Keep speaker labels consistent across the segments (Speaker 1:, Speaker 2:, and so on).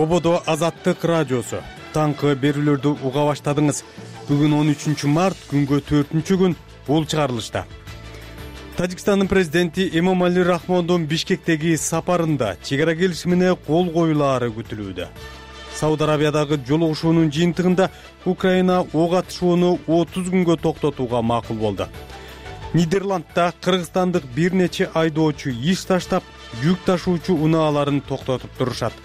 Speaker 1: Ободо Азаттык радиосу. Таңкы берүүлөрдү уга баштадыңыз. Бүгүн 13 март, күнгө 4-күн, бул чыгарылышта. Тажикстандын президенти Эмомали Рахмондун Бишкектеги сапарында чек ара келишимине кол коюлаары күтүлүүдө. Сауд Арабиядагы жолугушуунун жыйынтыгында Украина ок атышууну 30 күнгө токтотууга макул болду. Нидерландда кыргызстандык бир нече айдоочу иш таштап, жүк ташуучу унааларын токтотуп турушат.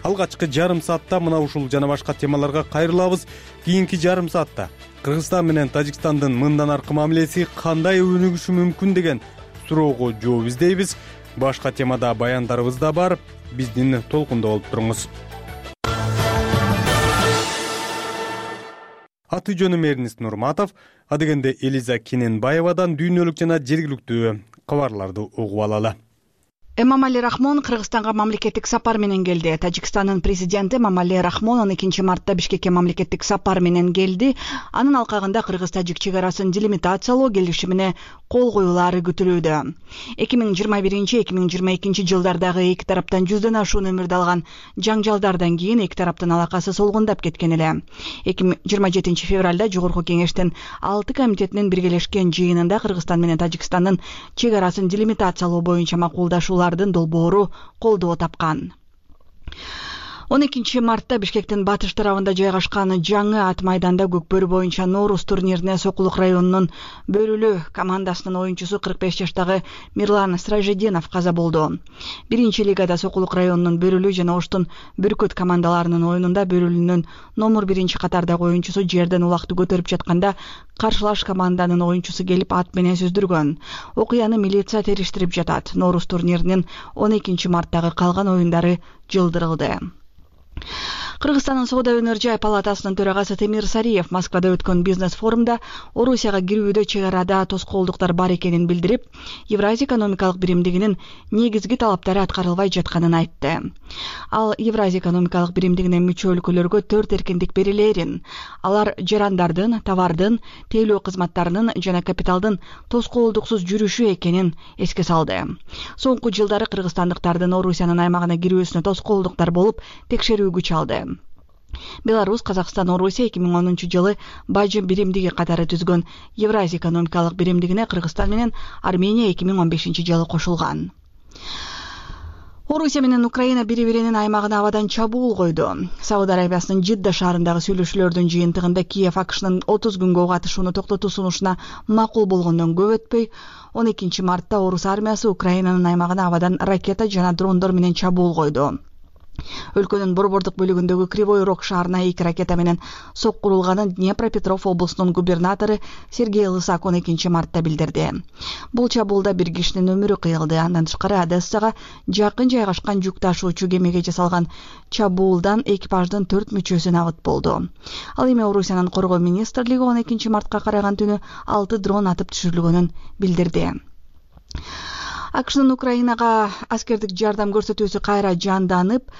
Speaker 1: Алгачкы жарым саатта мына ушул жана башка темаларга кайрылабыз. Кийинки жарым саатта Кыргызстан менен Тажикстандын мындан аркы мамилеси кандай өнүгүшү мүмкүн деген суроого жооп издейбиз. Башка темада баяндарыбыз да бар. Биздин толкунда болуп туруңуз. Аты жөнүм Эрнис Нурматов, адегенде Элиза Кененбаевадан дүйнөлүк жана жергиликтүү кабарларды угуп алалы.
Speaker 2: Эмомали Рахмон Кыргызстанга мамлекеттик сапар менен келди. Тажикстандын президенти Эмомали Рахмон 12 мартта Бишкекке мамлекеттик сапар менен келди. Анын алкагында Кыргыз-Тажик чек арасын делимитациялоо келишимине кол коюлаары күтүлүүдө. 2021-2022 жылдардагы эки тараптан 100дөн ашуун өмүрдү алган жаңжалдардан кийин эки тараптын алакасы солгундап кеткен эле. 27 февралда Жогорку кеңештин 6 комитетинин биргелешкен жыйынында Кыргызстан менен Тажикстандын чек арасын делимитациялоо боюнча макулдашуулардын долбоору колдоо тапкан. 12 мартта Бишкектин батыш тарабында жайгашкан жаңы ат майданда Көкбөрү боюнча Ноорус турнирине Сокулук районунун Бөрүлү командасынын оюнчусу 45 жаштагы Мирлан Сражединов каза болду. Биринчи лигада Сокулук районунун Бөрүлү жана Оштун Бүркөт командаларынын оюнунда Бөрүлүнүн номер 1 катардагы оюнчусу жерден улакты көтөрүп жатканда каршылаш команданын оюнчусу келип ат менен сүздүргөн. Окуяны милиция териштирип жатат. Ноорус турниринин 12 марттагы калган оюндары жылдырылды. Кыргызстандын Соода өнөр жай палатасынын төрагасы Темир Сариев Москвада өткөн бизнес форумда Орусияга кирүүдө чек арада тоскоолдуктар бар экенин билдирип, Евразия экономикалык биримдигинин негизги талаптары аткарылбай жатканын айтты. Ал Евразия экономикалык биримдигине мүчө өлкөлөргө 4 эркиндик берилерин, алар жарандардын, товардын, тейлөө кызматтарынын жана капиталдын тоскоолдуксуз жүрүшү экенин эске салды. Соңку жылдары кыргызстандыктардын Орусиянын аймагына кирүүсүнө тоскоолдуктар болуп текшерүү күч алды. Беларусь, Казакстан, Орусия 2010 жылы бажы биримдиги катары түзгөн Евразия экономикалык биримдигине Кыргызстан менен Армения 2015 жылы кошулган. Орусия менен Украина бири-биринин аймагына абадан чабуул койду. Сауд Арабиясынын Жидда шаарындагы сүйлөшүүлөрдүн жыйынтыгында Киев АКШнын 30 күнгө ок атышууну токтотуу сунушуна макул болгондон көп өтпөй, 12 мартта Орус армиясы Украинанын аймагына абадан ракета жана дрондор менен чабуул койду. Өлкөнүн борбордук бөлүгүндөгү Кривой Рог шаарына 2 ракета менен соккурулганын Днепропетров облусунун губернатору Сергей Лысак 12 мартта билдирди. Бул чабуулда бир кишинин өмүрү кыйылды. Андан тышкары Одессага жакын жайгашкан жүк ташуучу кемеге жасалган чабуулдан экипаждын 4 мүчөсү набыт болду. Ал эми Орусиянын коргоо министрлиги 12 мартка караган түнү 6 дрон атып түшүрүлгөнүн билдирди. АКШнын Украинага аскердик жардам көрсөтүүсү кайра жанданып,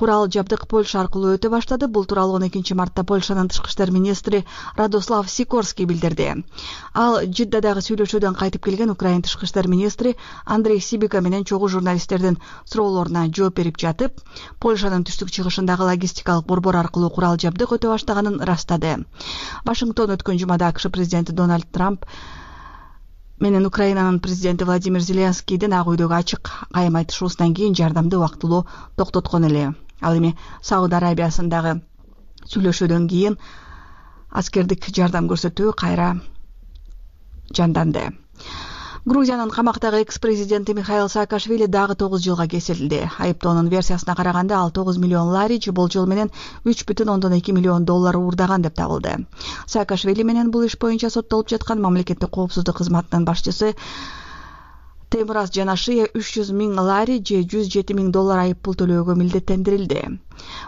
Speaker 2: курал жабдык Польша аркылуу өтө баштады. Бул тууралуу 12 мартта Польшанын тышкы иштер министри Радослав Сикорский билдирди. Ал Жиддадагы сүйлөшүүдөн кайтып келген Украин тышкы иштер министри Андрей Сибика менен чогуу журналисттердин суроолоруна жооп берип жатып, Польшанын түштүк чыгышындагы логистикалык борбор аркылуу курал жабдык өтө баштаганын ырастады. Вашингтон өткөн жумада АКШ президенти Дональд Трамп менен Украинанын президенти Владимир Зеленскийдин Ак үйдөгү ачык кайым айтышуусунан кийин жардамды убактылуу токтоткон эле. Ал эми Сауд Арабиясындагы сүйлөшүүдөн кийин аскердик жардам көрсөтүү кайра жанданды. Грузиянын камактагы экс-президенти Михаил Саакашвили дагы 9 жылга кесилди. Айыптоонун версиясына караганда ал 9 миллион лари болжол менен 3,2 миллион доллар уурдаган деп табылды. Саакашвили менен бул иш боюнча соттолуп жаткан мамлекеттик коопсуздук кызматынын башчысы Темураз Жанашия 300 миң лари же 107 миң доллар айыппул төлөөгө милдеттендирилди.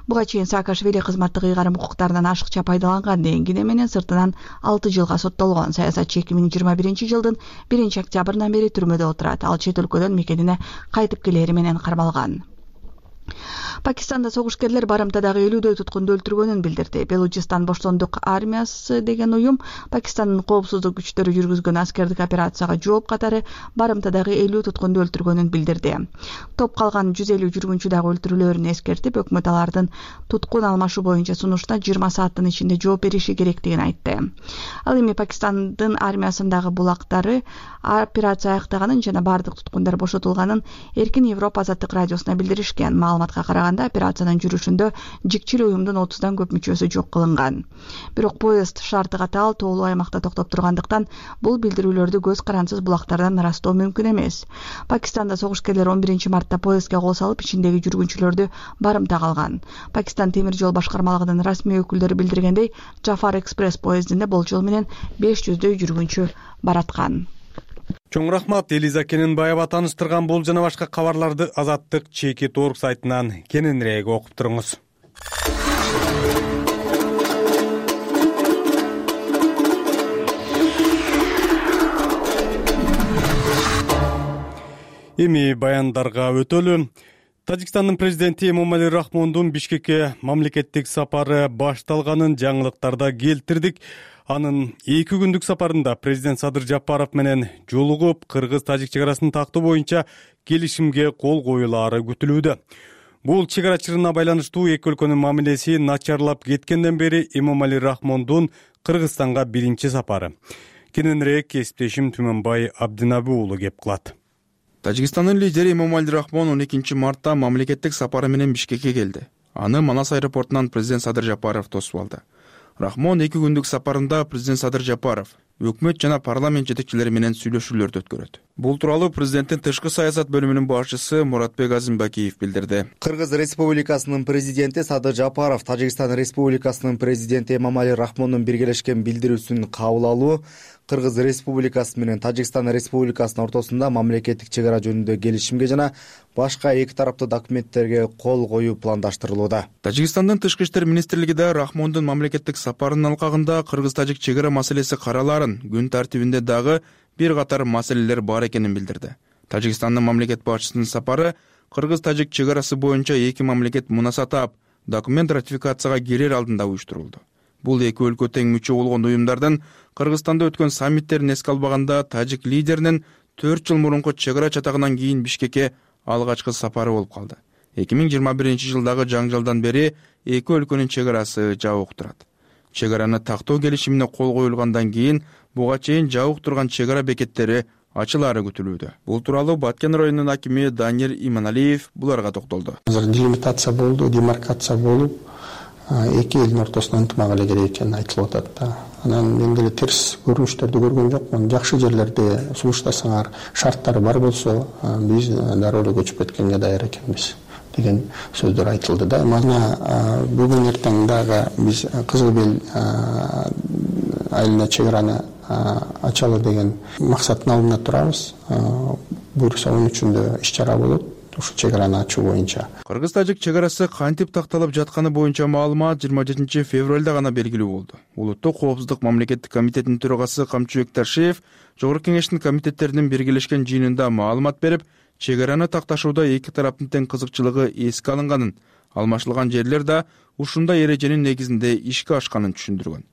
Speaker 2: Буга чейин Саакашвили кызматтык ыйгарым укуктарынан ашыкча пайдаланган деген кине менен сыртынан 6 жылга соттолгон. Саясатчы 2021 жылдын 1 октябрынан бери түрмөдө отурат. Ал чет өлкөдөн мекенине кайтып келери менен кармалган. Пакистанда согушкерлер барымтадагы 50дөй туткунду өлтүргөнүн билдирди. Белучистан Боштондук армиясы деген уюм Пакистандын коопсуздук күчтөрү жүргүзгөн аскердик операцияга жооп катары барымтадагы 50 туткунду өлтүргөнүн билдирди. Топ калган 150 жүргүнчү дагы өлтүрүлөөрүн эскертип, өкмөт алардын туткун алмашуу боюнча сунуштуна 20 сааттын ичинде жооп бериши керектигин айтты. Ал эми Пакистандын армиясындагы булактары операция аяктаганын жана бардык туткундар бошотулганын Эркин Европа азаттык радиосуна билдиришкен. Маалыматка караганда операциянын жүрүшүндө жикчил уюмдун 30дан көп мүчөсү жок кылынган. Бирок поезд шарты катаал тоолуу аймакта токтоп тургандыктан бул билдирүүлөрдү көз карансыз булактардан ырастоо мүмкүн эмес. Пакистанда согушкерлер 11-мартта поездге кол салып, ичиндеги жүргүнчүлөрдү барымтага алган. Пакистан темир жол башкармалыгынын расмий өкүлдөрү билдиргендей, Джафар экспресс поездинде болжол менен 500дөй жүргүнчү бараткан.
Speaker 1: Чоң рахмат Элиза Кененбаева тааныштырган бул жана башка кабарларды Азаттык Чеки.org сайтынан кененирээк окуп туруңуз. Эми баяндарга өтөлү. Тажикстандын президенти Эмомали Рахмондун Бишкекке мамлекеттик сапары башталганын жаңылыктарда келтирдик. Анын 2 күндүк сапарында президент Садыр Жапаров менен жолугуп, кыргыз-тажик чегарасын тактоо боюнча келишимге кол коюлаары күтүлүүдө. Бул чегара чырына байланыштуу эки өлкөнүн мамилеси начарлап кеткенден бери Эмомали Рахмондун Кыргызстанга биринчи сапары. Кененирээк кесиптешим Түмөнбай Абдинаби уулу кеп кылат.
Speaker 3: Тажикстандын лидери Эмомали Рахмон 12-мартта мамлекеттик сапары менен Бишкекке келди. Аны Манас аэропортунан президент Садыр Жапаров тосуп алды. Рахмон 2 күндүк сапарында президент Садыр Жапаров өкмөт жана парламент жетекчилери менен сүйлөшүүлөрдү өткөрөт. Бул тууралуу президенттин тышкы саясат бөлүмүнүн башчысы Муратбек Азимбакиев билдирди.
Speaker 4: Кыргыз Республикасынын президенти Садыр Жапаров Тажикстан Республикасынын президенти Эмомали Рахмондун биргелешкен билдирүүсүн кабыл алуу Кыргыз Республикасы менен Тажикстан Республикасынын ортосунда мамлекеттик чегара жөнүндө келишимге жана башка эки тараптуу документтерге кол коюу пландаштырылууда.
Speaker 3: Тажикстандын тышкы иштер министрлиги да Рахмондун мамлекеттик сапарынын алкагында кыргыз-тажик чегара маселеси каралаарын, күн тартибинде дагы бир катар маселелер бар экенин билдирди. Тажикстандын мамлекет башчысынын сапары кыргыз-тажик чегарасы боюнча эки мамлекет мунасатап документ ратификацияга кирер алдында уюштурулду. Бул эки өлкө тең мүчө болгон уюмдардын Кыргызстанда өткөн саммиттерин эске албаганда тажик лидеринин 4 жыл мурунку чегара чатагынан кийин Бишкекке алгачкы сапары болуп калды. 2021-жылдагы жаңжалдан бери эки өлкөнүн чегарасы жабык турат. Чегараны тактоо келишимине кол коюлгандан кийин буга чейин жабык турган чегара бекеттери ачылаары күтүлүүдө. Бул тууралуу Баткен районунун акими Данир Иманалиев буларга токтолду.
Speaker 5: Делимитация болду, демаркация болуп, эки элдин ортосуна ынтымак эле керек экени айтылып атат да. Анан мен деле терс көрүнүштөрдү көргөн жокмун. Жакшы жерлерде сунуштасаңар, шарттары бар болсо, биз дароо эле көчүп кеткенге даяр экенбиз деген сөздөр айтылды да. Мана бүгүн эртең дагы биз Кызыл Бел айылына чегараны ачалы деген максаттын алдында турабыз. Буюрса 13-үндө иш-чара болот. Ушу чегараны ачуу боюнча.
Speaker 3: Кыргыз-тажик чегарасы кантип такталып жатканы боюнча маалымат 27 февралда гана белгилүү болду. Улуттук коопсуздук мамлекеттик комитетинин төрагасы Камчыбек Таршиев Жогорку кеңештин комитеттеринин биргелешкен жыйынында маалымат берип, чегараны такташууда эки тараптын тең кызыкчылыгы эске алынганын, алмашылган жерлер да ушундай эреженин негизинде ишке ашканын түшүндүргөн.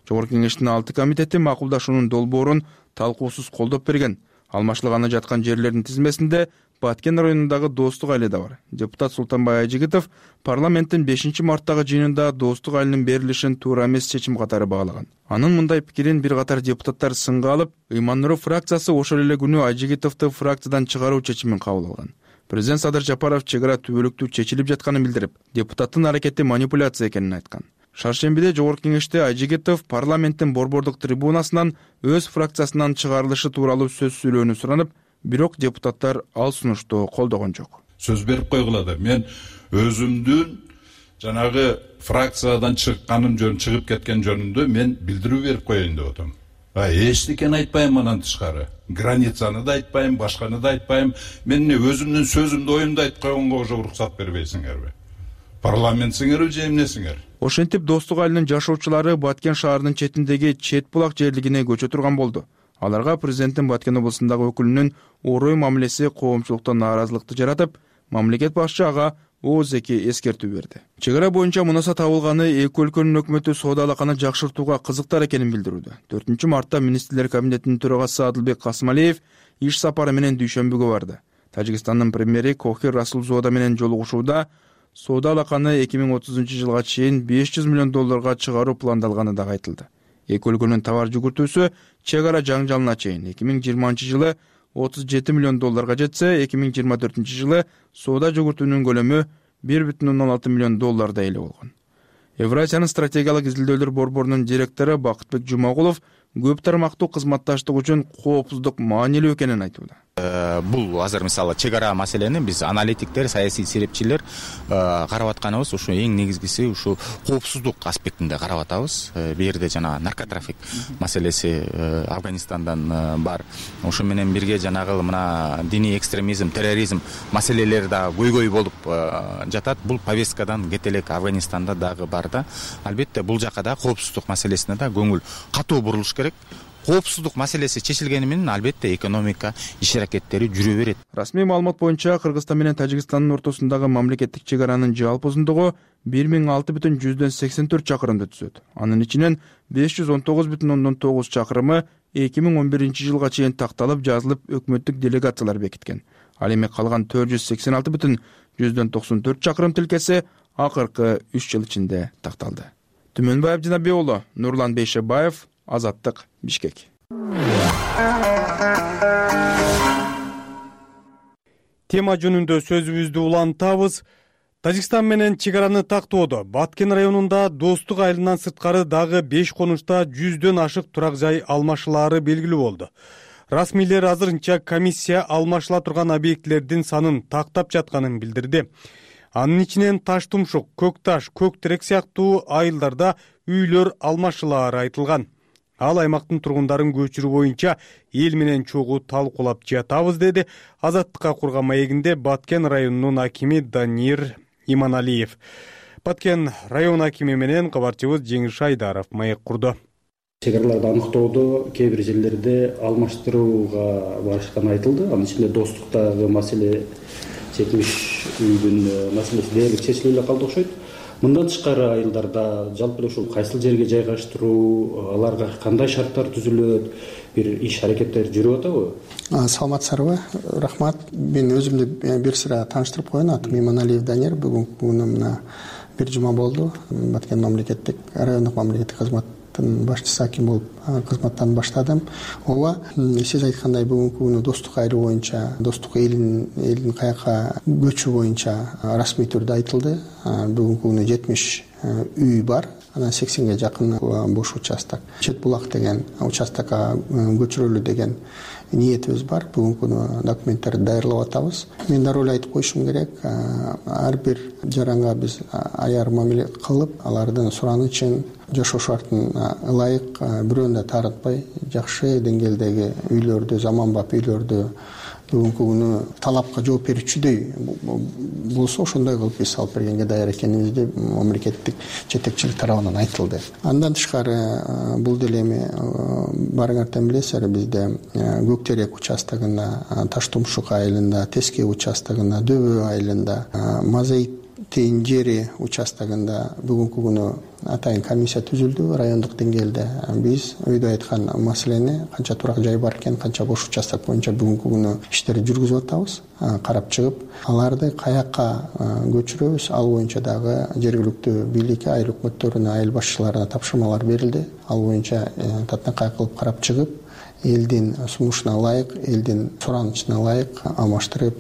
Speaker 3: Жогорку кеңештин 6 комитети макулдашуунун долбоорун талкуусуз колдоп берген. Алмашылганы жаткан жерлердин тизмесинде Баткен районундагы Достук айылы да бар. Депутат Султанбай Айжигитов парламенттин 5-марттагы жыйынында Достук айылынын берилишин туура эмес чечим катары баалаган. Анын мындай пикирин бир катар депутаттар сынга алып, Ыйман-Нур фракциясы ошол эле күнү Айжигитовду фракциядан чыгаруу чечимин кабыл алган. Президент Садыр Жапаров чегара түбөлүктүү чечилип жатканын билдирип, депутаттын аракети манипуляция экенин айткан. Шаршембиде Жогорку кеңеште Айжигитов парламенттин борбордук трибунасынан өз фракциясынан чыгарылышы тууралуу сөз сүйлөөнү суранып, бирок депутаттар ал сунушту колдогон жок.
Speaker 6: Сөз берип койгула. Мен өзүмдүн жанагы фракциядан чыкканым чыгып кеткен жөнүндө мен билдирүү берип коеюн деп атам. Эчтекени айтпайм анан тышкары. Границаны да айтпайм, башканы да айтпайм. Мен өзүмдүн сөзүмдү, оюмду айтып койгонго уже уруксат бербейсиңерби? Парламентсиңерби же эмнесиңер?
Speaker 3: Ошентип Достук айылынын жашоочулары Баткен шаарынын четиндеги Чет булак жерлигине көчө турган болду. Аларга президенттин Баткен облусундагы өкүлүнүн орой мамилеси коомчулукта нааразылыкты жаратып, мамлекет башчы ага ООЗК эскертүү берди. Чек ара боюнча мунаса табылганы эки өлкөнүн өкмөтү соода алаканы жакшыртууга кызыктар экенин билдирүүдө. 4 мартта Министрлер кабинетинин төрагасы Адылбек Касымалиев иш сапары менен Дүйшөмбүгө барды. Тажикстандын премьери Кохир Расулзода менен жолугушууда соода алаканы 2030 жылга чейин $500 миллион чыгаруу пландалганы дагы айтылды. Эки өлкөнүн товар жүгүртүүсү чек ара жаңжалына чейин 2020 жылы $37 миллион жетсе, 2024 жылы соода жүгүртүүнүн көлөмү $1,16 миллион эле болгон. Евразиянын стратегиялык изилдөөлөр борборунун директору Бакытбек Жумагулов көп тармактуу кызматташтык үчүн коопсуздук маанилүү экенин айтууда.
Speaker 7: Бул азыр мисалы чек ара маселени биз аналитиктер, саясий серепчилер карап атканыбыз ушу эң негизгиси ушу коопсуздук аспектинде карап атабыз. Бу жерде жана наркотрафик маселеси Афганистандан бар. Ошо менен бирге жанагы мына диний экстремизм, терроризм маселелери да көйгөй болуп жатат. Бул повесткадан кете элек Афганистанда дагы бар да. Албетте бул жака да коопсуздук маселесине да көңүл катуу бурулуш керек. Коопсуздук маселеси чечилгени менен албетте экономика иш аракеттери жүрө берет.
Speaker 3: Расмий маалымат боюнча Кыргызстан менен Тажикстандын ортосундагы мамлекеттик чек аранын жалпы узундугу 1006,84 чакырымды түзөт. Анын ичинен 519,9 чакырымы 2011 жылга чейин такталып жазылып өкмөттүк делегациялар бекиткен. Ал эми калган 486,94 чакырым тилкеси акыркы 3 жыл ичинде такталды. Түмөнбаев Жанабек уулу, Нурлан Бейшебаев, Азаттык, Бишкек.
Speaker 1: Тема жөнүндө сөзүбүздү улантабыз. Тажикстан менен чек араны тактоодо Баткен районунда Достук айылынан сырткары дагы 5 конушта 100дөн ашык турак жай алмашылаары белгилүү болду. Расмийлер азырынча комиссия алмашыла турган объектилердин санын тактап жатканын билдирди. Анын ичинен Таш Тумшук, Көк Таш, Көк Терек сыяктуу айылдарда үйлөр алмашылаары айтылган. Ал аймактын тургундарын көчүрүү боюнча эл менен чогуу талкуулап жатабыз, деди Азаттыкка курган маегинде Баткен районунун акими Данир Иманалиев. Баткен район акими менен кабарчыбыз Жеңиш Айдаров маек курду.
Speaker 8: Чек араларды аныктоодо кээ бир жерлерде алмаштырууга барышканы айтылды. Анын ичинде Достуктагы маселе 70 үйдүн маселеси дээрлик чечилип эле калды окшойт. Мындан тышкары айылдарда жалпы эле ушул кайсыл жерге жайгаштыруу, аларга кандай шарттар түзүлөт, бир иш аракеттер жүрүп атабы?
Speaker 5: Саламатсыздарбы? Рахмат. Мен өзүмдү бир сыра тааныштырып коеюн. Атым Иманалиев Данир. Бүгүнкү күнү мына бир жума болду. Баткен мамлекеттик райондук мамлекеттик кызматтын башчысы аким болуп кызматтан баштадым. Ооба, сиз айткандай бүгүнкү күнү Достук айылы боюнча, Достук элдин каяка көчү боюнча расмий түрдө айтылды. Бүгүнкү күнү 70 үй бар. Анан 80ге жакын бош участок. Чет булак деген участокко көчүрөлү деген ниетибиз бар. Бүгүнкү күнү документтерди даярдап атабыз. Мен дароо эле айтып коюшум керек. Ар бир жаранга биз аяр мамиле кылып, алардын суранычын, жашоо шартын ылайык бирөөнү да таарынтпай, жакшы деңгээлдеги үйлөрдү, заманбап үйлөрдү бүгүнкү күнү талапка жооп берүүчүдөй болсо ошондой кылып биз алып бергенге даяр экенибизди мамлекеттик жетекчилик тарабынан айтылды. Андан тышкары бул деле эми барыңардан билесиздер, бизде Көк Терек участогунда, Таш Тумшук айылында, Теске участогунда, Дөбө айылында, Мазайтейин жери участогунда бүгүнкү күнү атайын комиссия түзүлдү райондук деңгээлде. Биз өйдө айткан маселени канча турак жай бар экен, канча бош участок боюнча бүгүнкү күнү иштерди жүргүзүп атабыз. Карап чыгып, аларды каякка көчүрөбүз, ал боюнча дагы жергиликтүү бийликке, айыл өкмөттөрүнө, айыл башчыларына тапшырмалар берилди. Ал боюнча татынакай кылып карап чыгып, элдин сунушуна ылайык, элдин суранычына ылайык алмаштырып,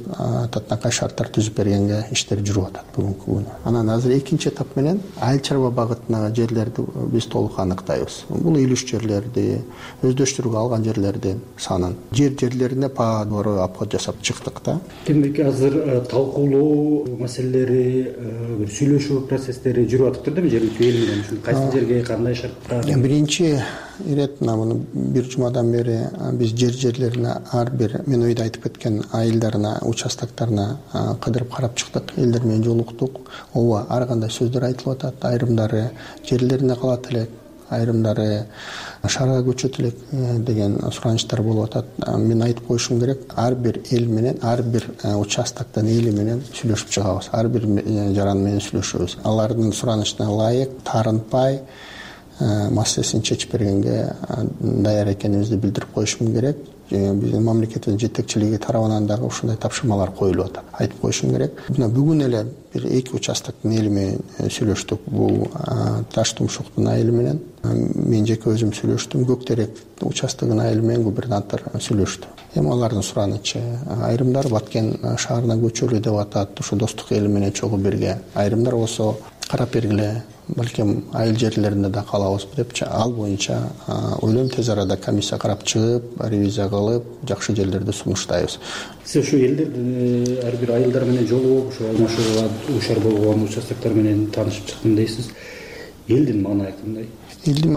Speaker 5: татынакай шарттар түзүп бергенге иштер жүрүп атат бүгүнкү күнү. Анан азыр экинчи этап менен айыл чарба багытындагы жерлерди биз толук аныктайбыз. Бул илүш жерлерди, өздөштүрүүгө алган жерлердин санын, жерлерине паадору обход жасап чыктык да.
Speaker 8: Демек азыр талкуулоо маселелери, бир сүйлөшүү процесстери жүрүп атыптыр да жергиликтүү эл менен. Кайсы жерге кандай шарттар?
Speaker 5: Биринчи ирет мына бир жумадан бери биз жерлерине ар бир мен өйдө айтып кеткен айылдарына, участоктарына кыдырып карап чыктык, элдер менен жолуктук. Ооба, ар кандай сөздөр айтылып атат, айрымдары жерлерине калат элек, айрымдары шаарга көчөт элек деген суранычтар болуп атат. Мен айтып коюшум керек, ар бир эл менен, ар бир участоктун эли менен сүйлөшүп чыгабыз, ар бир жаран менен сүйлөшөбүз. Алардын суранычына ылайык, таарынтпай маселесин чечип бергенге даяр экенибизди билдирип коюшум керек. Биздин мамлекеттин жетекчилиги тарабынан дагы ушундай тапшырмалар коюлуп атат. Айтып коюшум керек. Мына бүгүн эле бир 2 участоктун эли менен сүйлөштүк. Бул Таш Тумшуктун айылы менен мен жеке өзүм сүйлөштүм. Көктерек участогунун айылы менен губернатор сүйлөштү. Эми алардын суранычы, айрымдар Баткен шаарына көчөлү деп атат. Ушу достук эли менен чогуу бирге. Айрымдар болсо карап бергиле, балким айыл жерлеринде да калабызбы депчи. Ал боюнча ойлойм тез арада комиссия карап чыгып, ревизия кылып, жакшы жерлерди сунуштайбыз.
Speaker 8: Сиз ушу элдерди ар бир айылдар менен жолугуп, ушу алмашууга дуушар болгон участоктор менен таанышып чыктым дейсиз. Элдин маанайы кандай?
Speaker 5: Элдин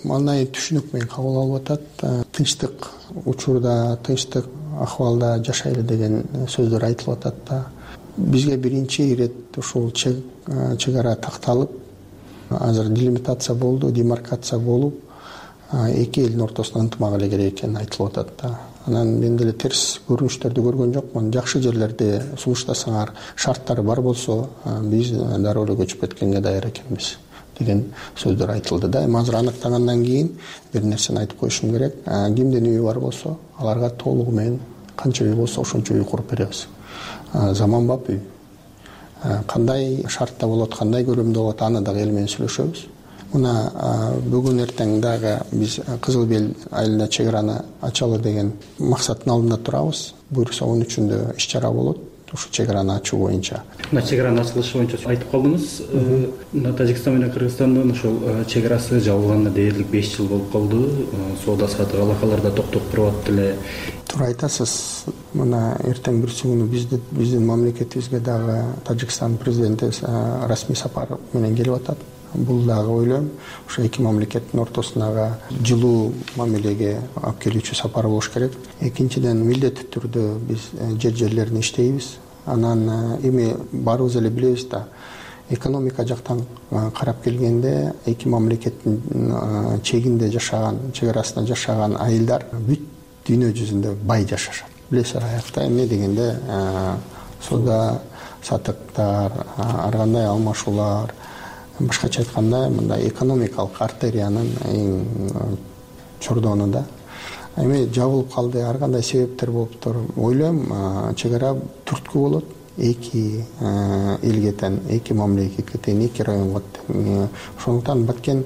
Speaker 5: маанайы түшүнүк менен кабыл алып атат. Тынчтык учурда, тынчтык акыбалда жашайлы деген сөздөр айтылып атат да. Бизге биринчи ирет ушул чек ара такталып, азыр делимитация болду, демаркация болуп, эки элдин ортосуна ынтымак эле керек экени айтылып атат да. Анан мен деле терс көрүнүштөрдү көргөн жокмун. Жакшы жерлерди сунуштасаңар, шарттары бар болсо, биз дароо эле көчүп кеткенге даяр экенбиз деген сөздөр айтылды да. Эми азыр аныктагандан кийин бир нерсени айтып коюшум керек. Кимдин үйү бар болсо, аларга толугу менен канча үй болсо ошончо үй куруп беребиз. Заманбап үй. Кандай шартта болот, кандай көрөмдө болот, аны дагы эл менен сүйлөшөбүз. Мына бүгүн эртең дагы биз Кызыл Бел айылында чек араны ачалы деген максаттын алдында турабыз. Буюрса 13-үндө иш чара болот. Ушу чек араны ачуу боюнча.
Speaker 8: Мына чек аранын ачылышы боюнча айтып калдыңыз. Мына Тажикстан менен Кыргызстандын ошол чек арасы жабылганына дээрлик 5 жыл болуп калды. Соода саттык алакалар да токтоп туруп эле.
Speaker 5: Туура айтасыз. Мына эртең бүрсү күнү биздин мамлекетибизге дагы Тажикстан президенти расмий сапар менен келип атат. Бул дагы ойлойм, ошо эки мамлекеттин ортосундагы жылуу мамилеге алып келүүчү сапар болуш керек. Экинчиден, милдеттүү түрдө биз жерлерин иштейбиз. Анан эми баарыбыз эле билебиз да, экономика жактан карап келгенде эки мамлекеттин чегинде жашаган, чек арасында жашаган айылдар бүт дүйнө жүзүндө бай жашашат. Билесиз, аякта эмне дегенде соода саттыктар, ар кандай алмашуулар, башкача айтканда мындай экономикалык артериянын эң чордону да. Эми жабылып калды, ар кандай себептер болуптур. Ойлойм, чек ара түрткү болот. Эки элге тең, эки мамлекетке тең, эки районго тең. Ошондуктан Баткенге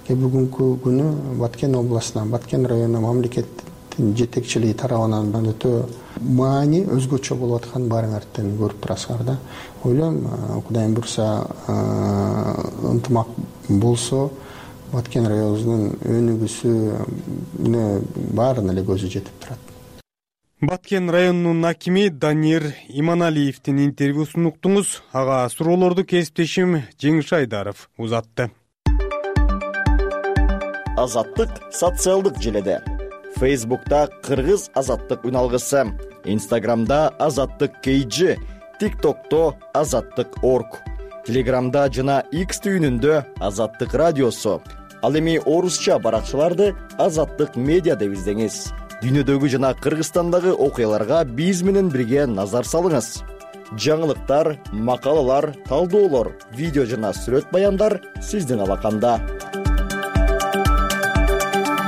Speaker 5: бүгүнкү күнү Баткен областына, Баткен районуна мамлекеттин жетекчилиги тарабынан өтө маани өзгөчө болуп аткан баарыңардан көрүп турасыңар да. Ойлойм, Кудайым буйрса, ынтымак болсо, Баткен районунун өнүгүүсүнө баарына эле көзү жетип турат.
Speaker 1: Баткен районунун акими Данир Иманалиевдин интервьюсун уктуңуз. Ага суроолорду кесиптешим Жеңиш Айдаров узатты.
Speaker 9: Азаттык социалдык желеде. Фейсбукта Кыргыз азаттык үналгысы, Инстаграмда Азаттык KG, ТикТокто Азаттык.org, Телеграмда жана X түйүнүндө Азаттык радиосу. Ал эми орусча баракчаларды Азаттык медиа деп издеңиз. Дүйнөдөгү жана Кыргызстандагы окуяларга биз менен бирге назар салыңыз. Жаңылыктар, макалалар, талдоолор, видео жана сүрөт баяндар сиздин алаканда.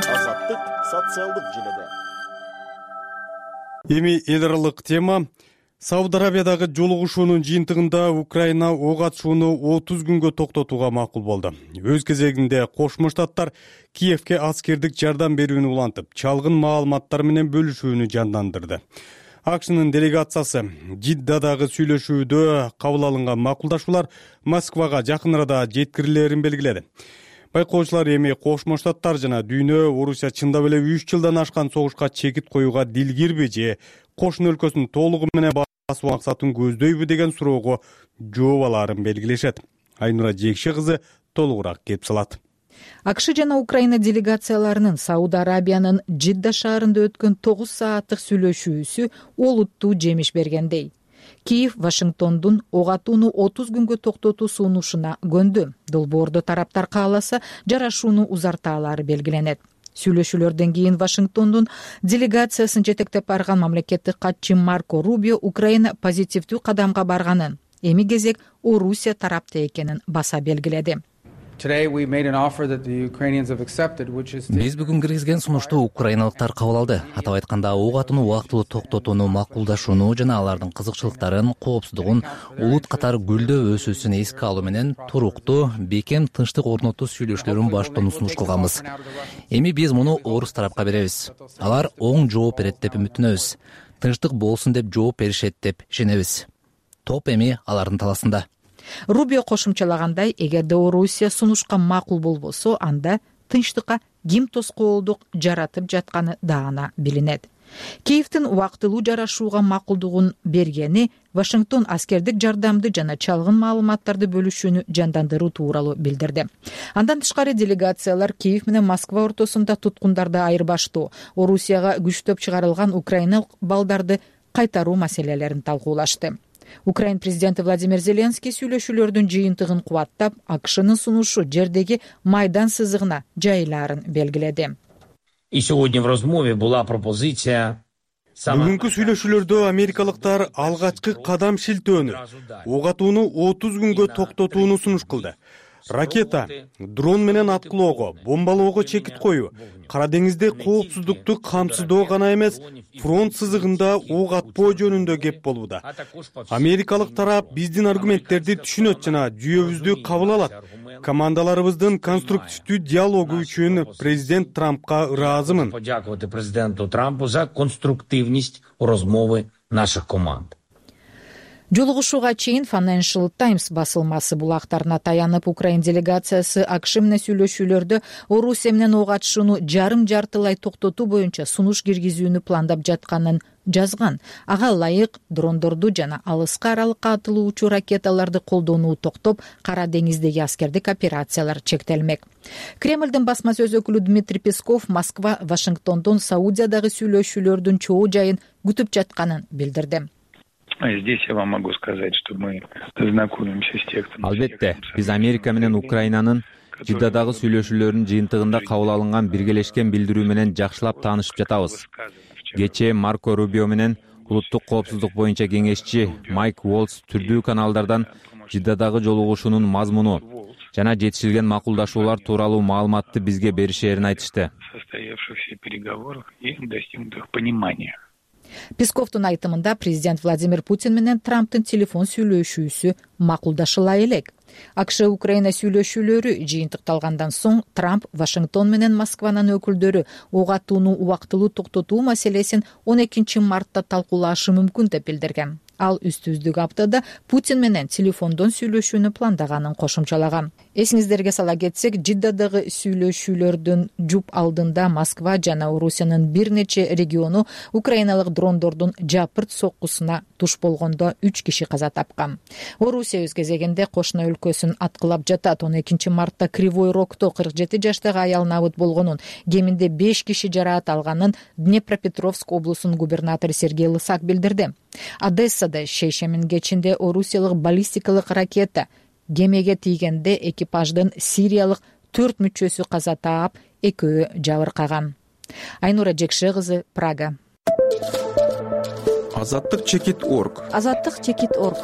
Speaker 9: Азаттык социалдык желеде.
Speaker 1: Эми эл аралык тема. Сауд Арабиядагы жолугушуунун жыйынтыгында Украина ок атышууну 30 күнгө токтотууга макул болду. Өз кезегинде Кошмо Штаттар Киевке аскердик жардам берүүнү улантып, чалгын маалыматтар менен бөлүшүүнү жандандырды. АКШнын делегациясы Жиддадагы сүйлөшүүдө кабыл алынган макулдашуулар Москвага жакын арада жеткирилерин белгиледи. Байкоочулар эми Кошмо Штаттар жана дүйнө Орусия чындап эле 3 жылдан ашкан согушка чекит коюуга дилгирби же кошуна өлкөсүн толугу менен басуу максатын көздөйбү деген суроого жооп алаарын белгилешет. Айнура Жекше кызы толугураак кеп салат.
Speaker 10: АКШ жана Украина делегацияларынын Сауд Арабиянын Жидда шаарында өткөн 9 сааттык сүйлөшүүсү олуттуу жемиш бергендей. Киев Вашингтондун ок атууну 30 күнгө токтотуу сунушуна көндү. Долбоордо тараптар кааласа жарашууну узартаалары белгиленет. Сүйлөшүүлөрдөн кийин Вашингтондун делегациясын жетектеп барган мамлекеттик катчы Марко Рубио Украина позитивдүү кадамга барганын, эми кезек Орусия тарапта экенин баса белгиледи.
Speaker 11: Биз бүгүн киргизген сунушту украиналыктар кабыл алды. Атап айтканда, ок атууну убактылуу токтотууну макулдашууну жана алардын кызыкчылыктарын, коопсуздугун, улут катары гүлдөө өсүүсүн эске алуу менен туруктуу, бекем тынчтык орнотуу сүйлөшүүлөрүн баштоону сунуш кылганбыз. Эми биз муну орус тарапка беребиз. Алар оң жооп берет деп үмүттөнөбүз. Тынчтык болсун деп жооп беришет деп ишенебиз. Топ эми алардын таласында.
Speaker 10: Рубио кошумчалагандай, эгерде Орусия сунушка макул болбосо, анда тынчтыкка ким тоскоолдук жаратып жатканы даана билинет. Киевдин убактылуу жарашууга макулдугун бергени Вашингтон аскердик жардамды жана чалгын маалыматтарды бөлүшүүнү жандандыруу тууралуу билдирди. Андан тышкары делегациялар Киев менен Москва ортосунда туткундарды айырбаштоо, Орусияга күчтөп чыгарылган украиналык балдарды кайтаруу маселелерин талкуулашты. Украин президенти Владимир Зеленский сүйлөшүүлөрдүн жыйынтыгын кубаттап, АКШнын сунушу жердеги майдан сызыгына жайылаарын белгиледи.
Speaker 1: Бүгүнкү сүйлөшүүлөрдө америкалыктар алгачкы кадам шилтөөнү, ок атууну 30 күнгө токтотууну сунуш кылды. Ракета, дрон менен аткылоого, бомбалоого чекит коюу, Кара деңизде коопсуздукту камсыздоо гана эмес, фронт сызыгында ок атпоо жөнүндө кеп болууда. Америкалык тарап биздин аргументтерди түшүнөт жана жүйөбүздү кабыл алат. Командаларыбыздын конструктивдүү диалогу үчүн президент Трампка ыраазымын.
Speaker 12: Президенту Трампу за конструктивность розмовы наших команд.
Speaker 10: Жолугушууга чейин Financial Times басылмасы булактарына таянып, Украин делегациясы АКШ менен сүйлөшүүлөрдө Орусия менен ок атышууну жарым-жартылай токтотуу боюнча сунуш киргизүүнү пландап жатканын жазган. Ага ылайык дрондорду жана алыска аралыкка атылуучу ракеталарды колдонуу токтоп, Кара деңиздеги аскердик операциялар чектелмек. Кремлдин басма сөз өкүлү Дмитрий Песков Москва Вашингтондон Саудиядагы сүйлөшүүлөрдүн чоо жайын күтүп жатканын билдирди.
Speaker 13: Здесь я вам могу сказать, что мы знакомимся с текстом.
Speaker 14: Албетте, биз Америка менен Украинанын Жиддадагы сүйлөшүүлөрүнүн жыйынтыгында кабыл алынган биргелешкен билдирүү менен жакшылап таанышып жатабыз. Кечээ Марко Рубио менен улуттук коопсуздук боюнча кеңешчи Майк Уолтс түрдүү каналдардан Жиддадагы жолугушуунун мазмуну жана жетишилген макулдашуулар тууралуу маалыматты бизге беришээрин айтышты.
Speaker 13: Состоявшихся переговорах и достигнутых понимания.
Speaker 10: Песковдун айтымында президент Владимир Путин менен Трамптын телефон сүйлөшүүсү макулдашыла элек. АКШ Украина сүйлөшүүлөрү жыйынтыкталгандан соң Трамп Вашингтон менен Москванын өкүлдөрү ок атууну убактылуу токтотуу маселесин 12 мартта талкуулашы мүмкүн деп билдирген. Ал үстүздүк аптада Путин менен телефондон сүйлөшүүнү пландаганын кошумчалаган. Эсиңиздерге сала кетсек, Жиддадагы сүйлөшүүлөрдүн жуп алдында Москва жана Орусиянын бир нече региону украиналык дрондордун жапырт соккусуна туш болгондо 3 киши каза тапкан. Орусия өз кезегинде кошуна өлкөсүн аткылап жатат. 12 мартта Кривой Рогто 47 жаштагы аял набыт болгонун, кеминде 5 киши жараат алганын Днепропетровск облусунун губернатору Сергей Лысак билдирди. Одессада шейшемин кечинде орусиялык баллистикалык ракета кемеге тийгенде экипаждын сириялык 4 мүчөсү каза таап, 2 жабыркаган. Айнура Жекше кызы, Прага.
Speaker 3: Азаттык чекит.org.
Speaker 10: Азаттык чекит.org.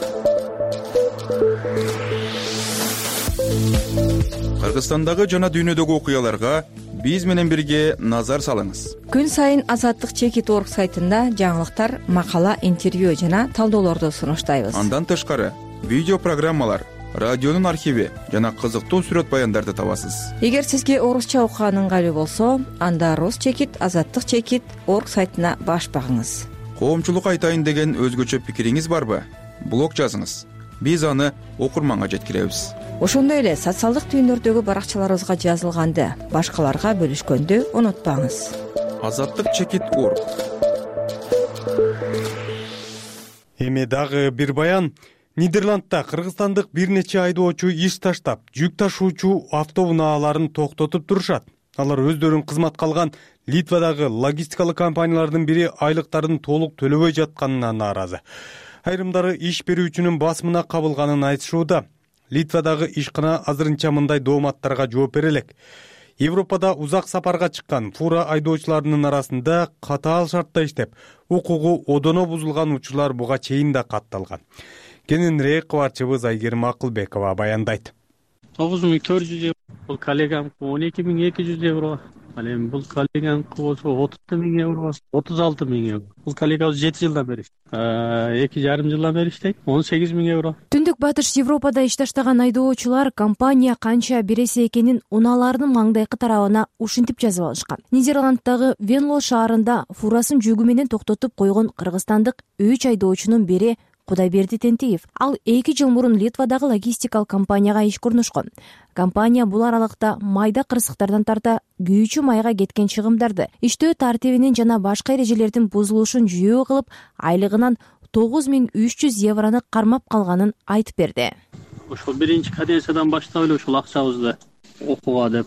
Speaker 3: Кыргызстандагы жана дүйнөдөгү окуяларга биз менен бирге назар салыңыз.
Speaker 15: Күн сайын Азаттык чекит.org сайтында жаңылыктар, макала, интервью жана талдоолорду сунуштайбыз.
Speaker 3: Андан тышкары видео программалар, радионун архиви жана кызыктуу сүрөт баяндарды табасыз.
Speaker 15: Эгер сизге орусча окуган ыңгайлуу болсо, анда Рус чекит, Азаттык чекит.org сайтына баш багыңыз.
Speaker 3: Коомчулук айтайын деген өзгөчө пикириңиз барбы? Блог жазыңыз. Биз аны окурманга жеткиребиз.
Speaker 15: Ошондой эле социалдык түйүндөрдөгү баракчаларыбызга жазылганды башкаларга бөлүшкөндү унутпаңыз.
Speaker 3: Азаттык чекит.org.
Speaker 1: Эми дагы бир баян. Нидерландда кыргызстандык бир нече айдоочу иш таштап, жүк ташуучу автоунааларын токтотуп турушат. Алар өздөрүн кызматка алган Литвадагы логистикалык компаниялардын бири айлыктарын толук төлөбөй жатканына нааразы. Айрымдары иш берүүчүнүн басымына кабылганын айтышууда. Литвадагы ишкана азырынча мындай дооматтарга жооп бере элек. Европада узак сапарга чыккан фура айдоочуларынын арасында катаал шартта иштеп, укугу одоно бузулган учурлар буга чейин да катталган. Кененирээк кабарчыбыз Айгерим Акылбекова баяндайт.
Speaker 16: 9400 евро, бул коллегамкы 12200 евро. Ал эми бул коллегамкы болсо 30.000 евро, 36.000 евро. Бул коллегабыз 7 жылдан бери, 2,5 жылдан бери иштейт, 18.000 евро.
Speaker 17: Түндүк батыш Европада иш таштаган айдоочулар компания канча бересе экенин унааларынын маңдайкы тарабына ушинтип жазып алышкан. Нидерланддагы Венло шаарында фурасын жүгү менен токтотуп койгон кыргызстандык 3 айдоочунун бири Кудайберди Тентиев. Ал 2 жыл мурун Литвадагы логистикалык компанияга ишке орношкон. Компания бул аралыкта майда кырсыктардан тарта күйүүчү майга кеткен чыгымдарды, иштөө тартибинин жана башка эрежелердин бузулушун жүйөө кылып, айлыгынан 9300 евроны кармап калганын айтып берди.
Speaker 16: Ошол биринчи каденциядан баштап эле ушул акчабызды окууга деп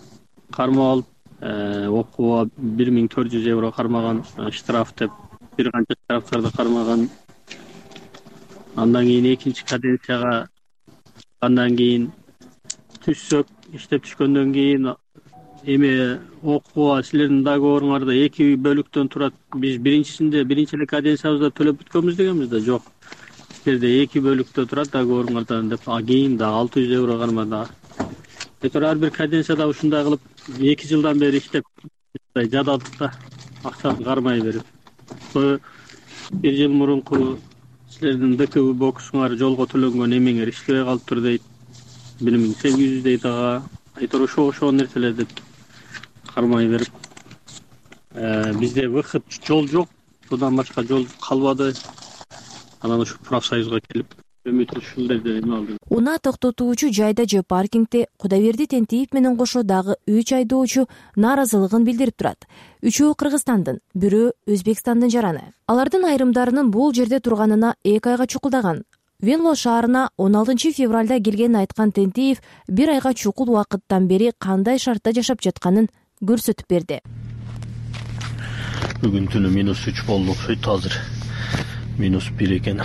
Speaker 16: кармап алып, окууга 1400 евро кармаган, штраф деп бир канча штрафтарды кармаган. Андан кийин экинчи каденцияга андан кийин түшсөк, иштеп түшкөндөн кийин эме окууга силердин договоруңарда 2 бөлүктөн турат. Биз биринчи эле каденциябызда төлөп бүткөнбүз дегенбиз да, жок. Силерде 2 бөлүктө турат договоруңардан деп, кийин да 600 евро кармады. Ар бир каденцияда ушундай кылып 2 жылдан бери иштеп жададык да, акчаны кармай берип. Бир жыл мурунку силердин ДКУ бокусуңар жолго төлөнгөн эмеңер иштебей калыптыр дейт. 1800 дейт ага. Айтор ошо нерселер деп кармай берип. Бизде выход жол жок. Будан башка жол калбады. Анан ушу профсоюзга келип үмүт ушулерде эме алды.
Speaker 17: Унаа токтотуучу жайда же паркингде Кудайберди Тентиев менен кошо дагы 3 айдоочу нааразылыгын билдирип турат. Үчөө Кыргызстандын, бирөө Өзбекстандын жараны. Алардын айрымдарынын бул жерде турганына 2 айга чукулдаган. Венло шаарына 16 февралда келгенин айткан Тентиев бир айга чукул убакыттан бери кандай шартта жашап жатканын көрсөтүп берди.
Speaker 18: Бүгүн түнү -3 болду окшойт, азыр -1 экен.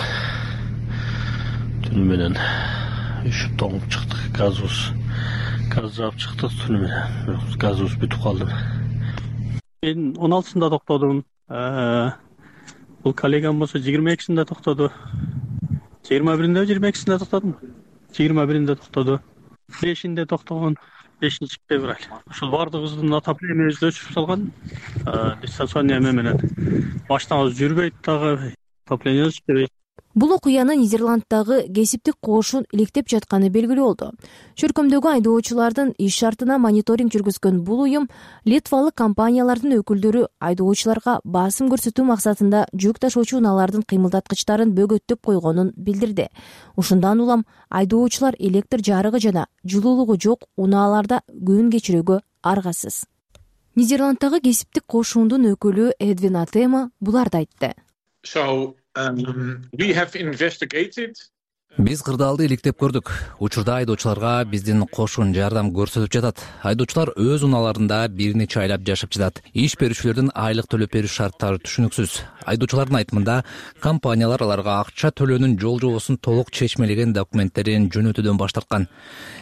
Speaker 18: Түнү менен үшүп тоңуп чыктык, газ жаап чыктык түнү менен. Газыбыз бүтүп калды.
Speaker 16: Мен 16-сында токтодум. Бул коллегам болсо 22-синде токтоду. 21-inde 22-синде токтодум. 21-inde токтоду. 5-inde токтогон, 5-февраль. Ушул бардыгыбыздын отоплениябызды өчүрүп салган. Дистанционный эме менен. Машинабыз жүрбөйт дагы, отопление иштебейт.
Speaker 17: Бул окуяны Нидерланддагы кесиптик кошун иликтеп жатканы белгилүү болду. Чөркөмдөгү айдоочулардын иш шартына мониторинг жүргүзгөн бул уюм литвалык компаниялардын өкүлдөрү айдоочуларга басым көрсөтүү максатында жүк ташуучу унаалардын кыймылдаткычтарын бөгөттөп койгонун билдирди. Ушундан улам айдоочулар электр жарыгы жана жылуулугу жок унааларда күн кечирүүгө аргасыз. Нидерланддагы кесиптик кошундун өкүлү Эдвин Атема буларды айтты.
Speaker 11: Биз кырдаалды иликтеп көрдүк. Учурда айдоочуларга биздин кошун жардам көрсөтүп жатат. Айдоочулар өз унааларында бир нече айлап жашап жатат. Иш берүүчүлөрдүн айлык төлөп берүү шарттары түшүнүксүз. Айдоочулардын айтымында, компаниялар аларга акча төлөөнүн жол жобосун толук чечмелеген документтерин жөнөтүүдөн баш тарткан.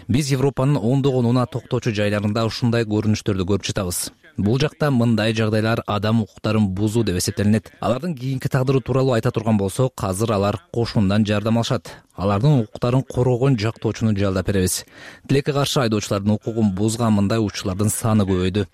Speaker 11: Биз Европанын ондогон унаа токтоочу жайларында ушундай көрүнүштөрдү көрүп жатабыз. Бул жакта мындай жагдайлар адам укуктарын бузуу деп эсептелинет. Алардын кийинки тагдыры тууралуу айта турган болсок, азыр алар кошундан жардам алышат. Алардын укуктарын коргогон жактоочуну жалдап беребиз. Тилекке каршы айдоочулардын укугун бузган мындай учурлардын саны көбөйдү.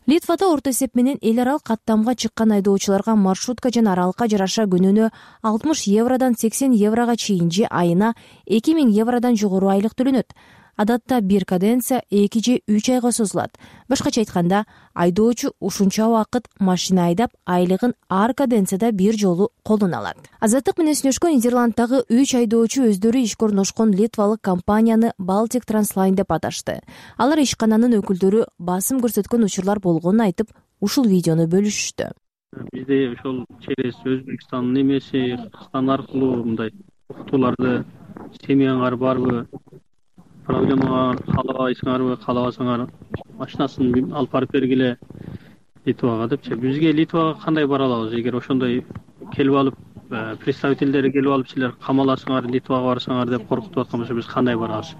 Speaker 17: Литвада орто эсеп менен эл аралык каттамга чыккан айдоочуларга маршрутка жана аралыкка жараша күнүнө 60 евродан 80 еврога чейин же айына 2000 евродан жогору айлык төлөнөт. Адатта бир каденция 2 же 3 айга созулат. Башкача айтканда, айдоочу ушунча убакыт машина айдап, айлыгын ар каденцияда бир жолу колуна алат. Азаттык менен сүйлөшкөн Нидерланддагы 3 айдоочу өздөрү ишке орношкон литвалык компанияны Baltic Transline деп аташты. Алар ишкананын өкүлдөрү басым көрсөткөн учурлар болгонун айтып, ушул видеону бөлүшүштү.
Speaker 16: Бизде ошол через Өзбекстандын эмеси, Кыргызстан аркылуу мындай уктууларды семьяңар барбы, проблемага каалабайсыңарбы, каалабасаңар машинасын алып барып бергиле Литвага депчи. Бизге Литвага кандай бара алабыз? Эгер ошондой келип алып, представительдери келип алып, силер камаласыңар, Литвага барсаңар деп коркутуп аткан болсо, биз кандай барабыз?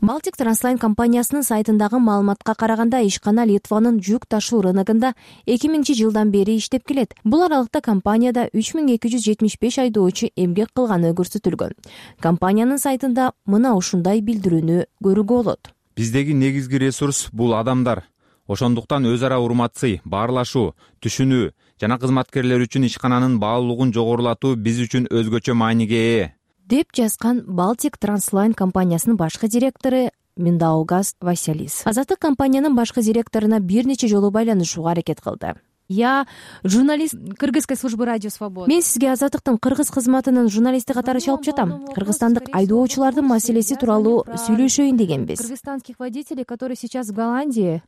Speaker 17: Baltic Translайн компаниясынын сайтындагы маалыматка караганда, ишкана Литванын жүк ташуу рыногунда 2000-жылдан бери иштеп келет. Бул аралыкта компанияда 3275 айдоочу эмгек кылганы көрсөтүлгөн. Компаниянын сайтында мына ушундай билдирүүнү көрүүгө болот.
Speaker 14: Биздеги негизги ресурс бул адамдар. Ошондуктан өз ара урматсый, баарлашуу, түшүнүү жана кызматкерлер үчүн ишкананын баалуулугун жогорулатуу биз үчүн өзгөчө мааниге ээ,
Speaker 17: деп жазган Baltic Translайн компаниясынын башкы директору Миндаугас Василис. Азаттык компаниянын башкы директоруна бир нече жолу байланышууга аракет кылды. Я журналист Кыргызской службы радио Свобода. Мен сизге Азаттыктын кыргыз кызматынын журналисти катары чалып жатам. Кыргызстандык айдоочулардын маселеси тууралуу сүйлөшөйүн дегенбиз. Кыргызстанских водителей, которые сейчас в Голландии.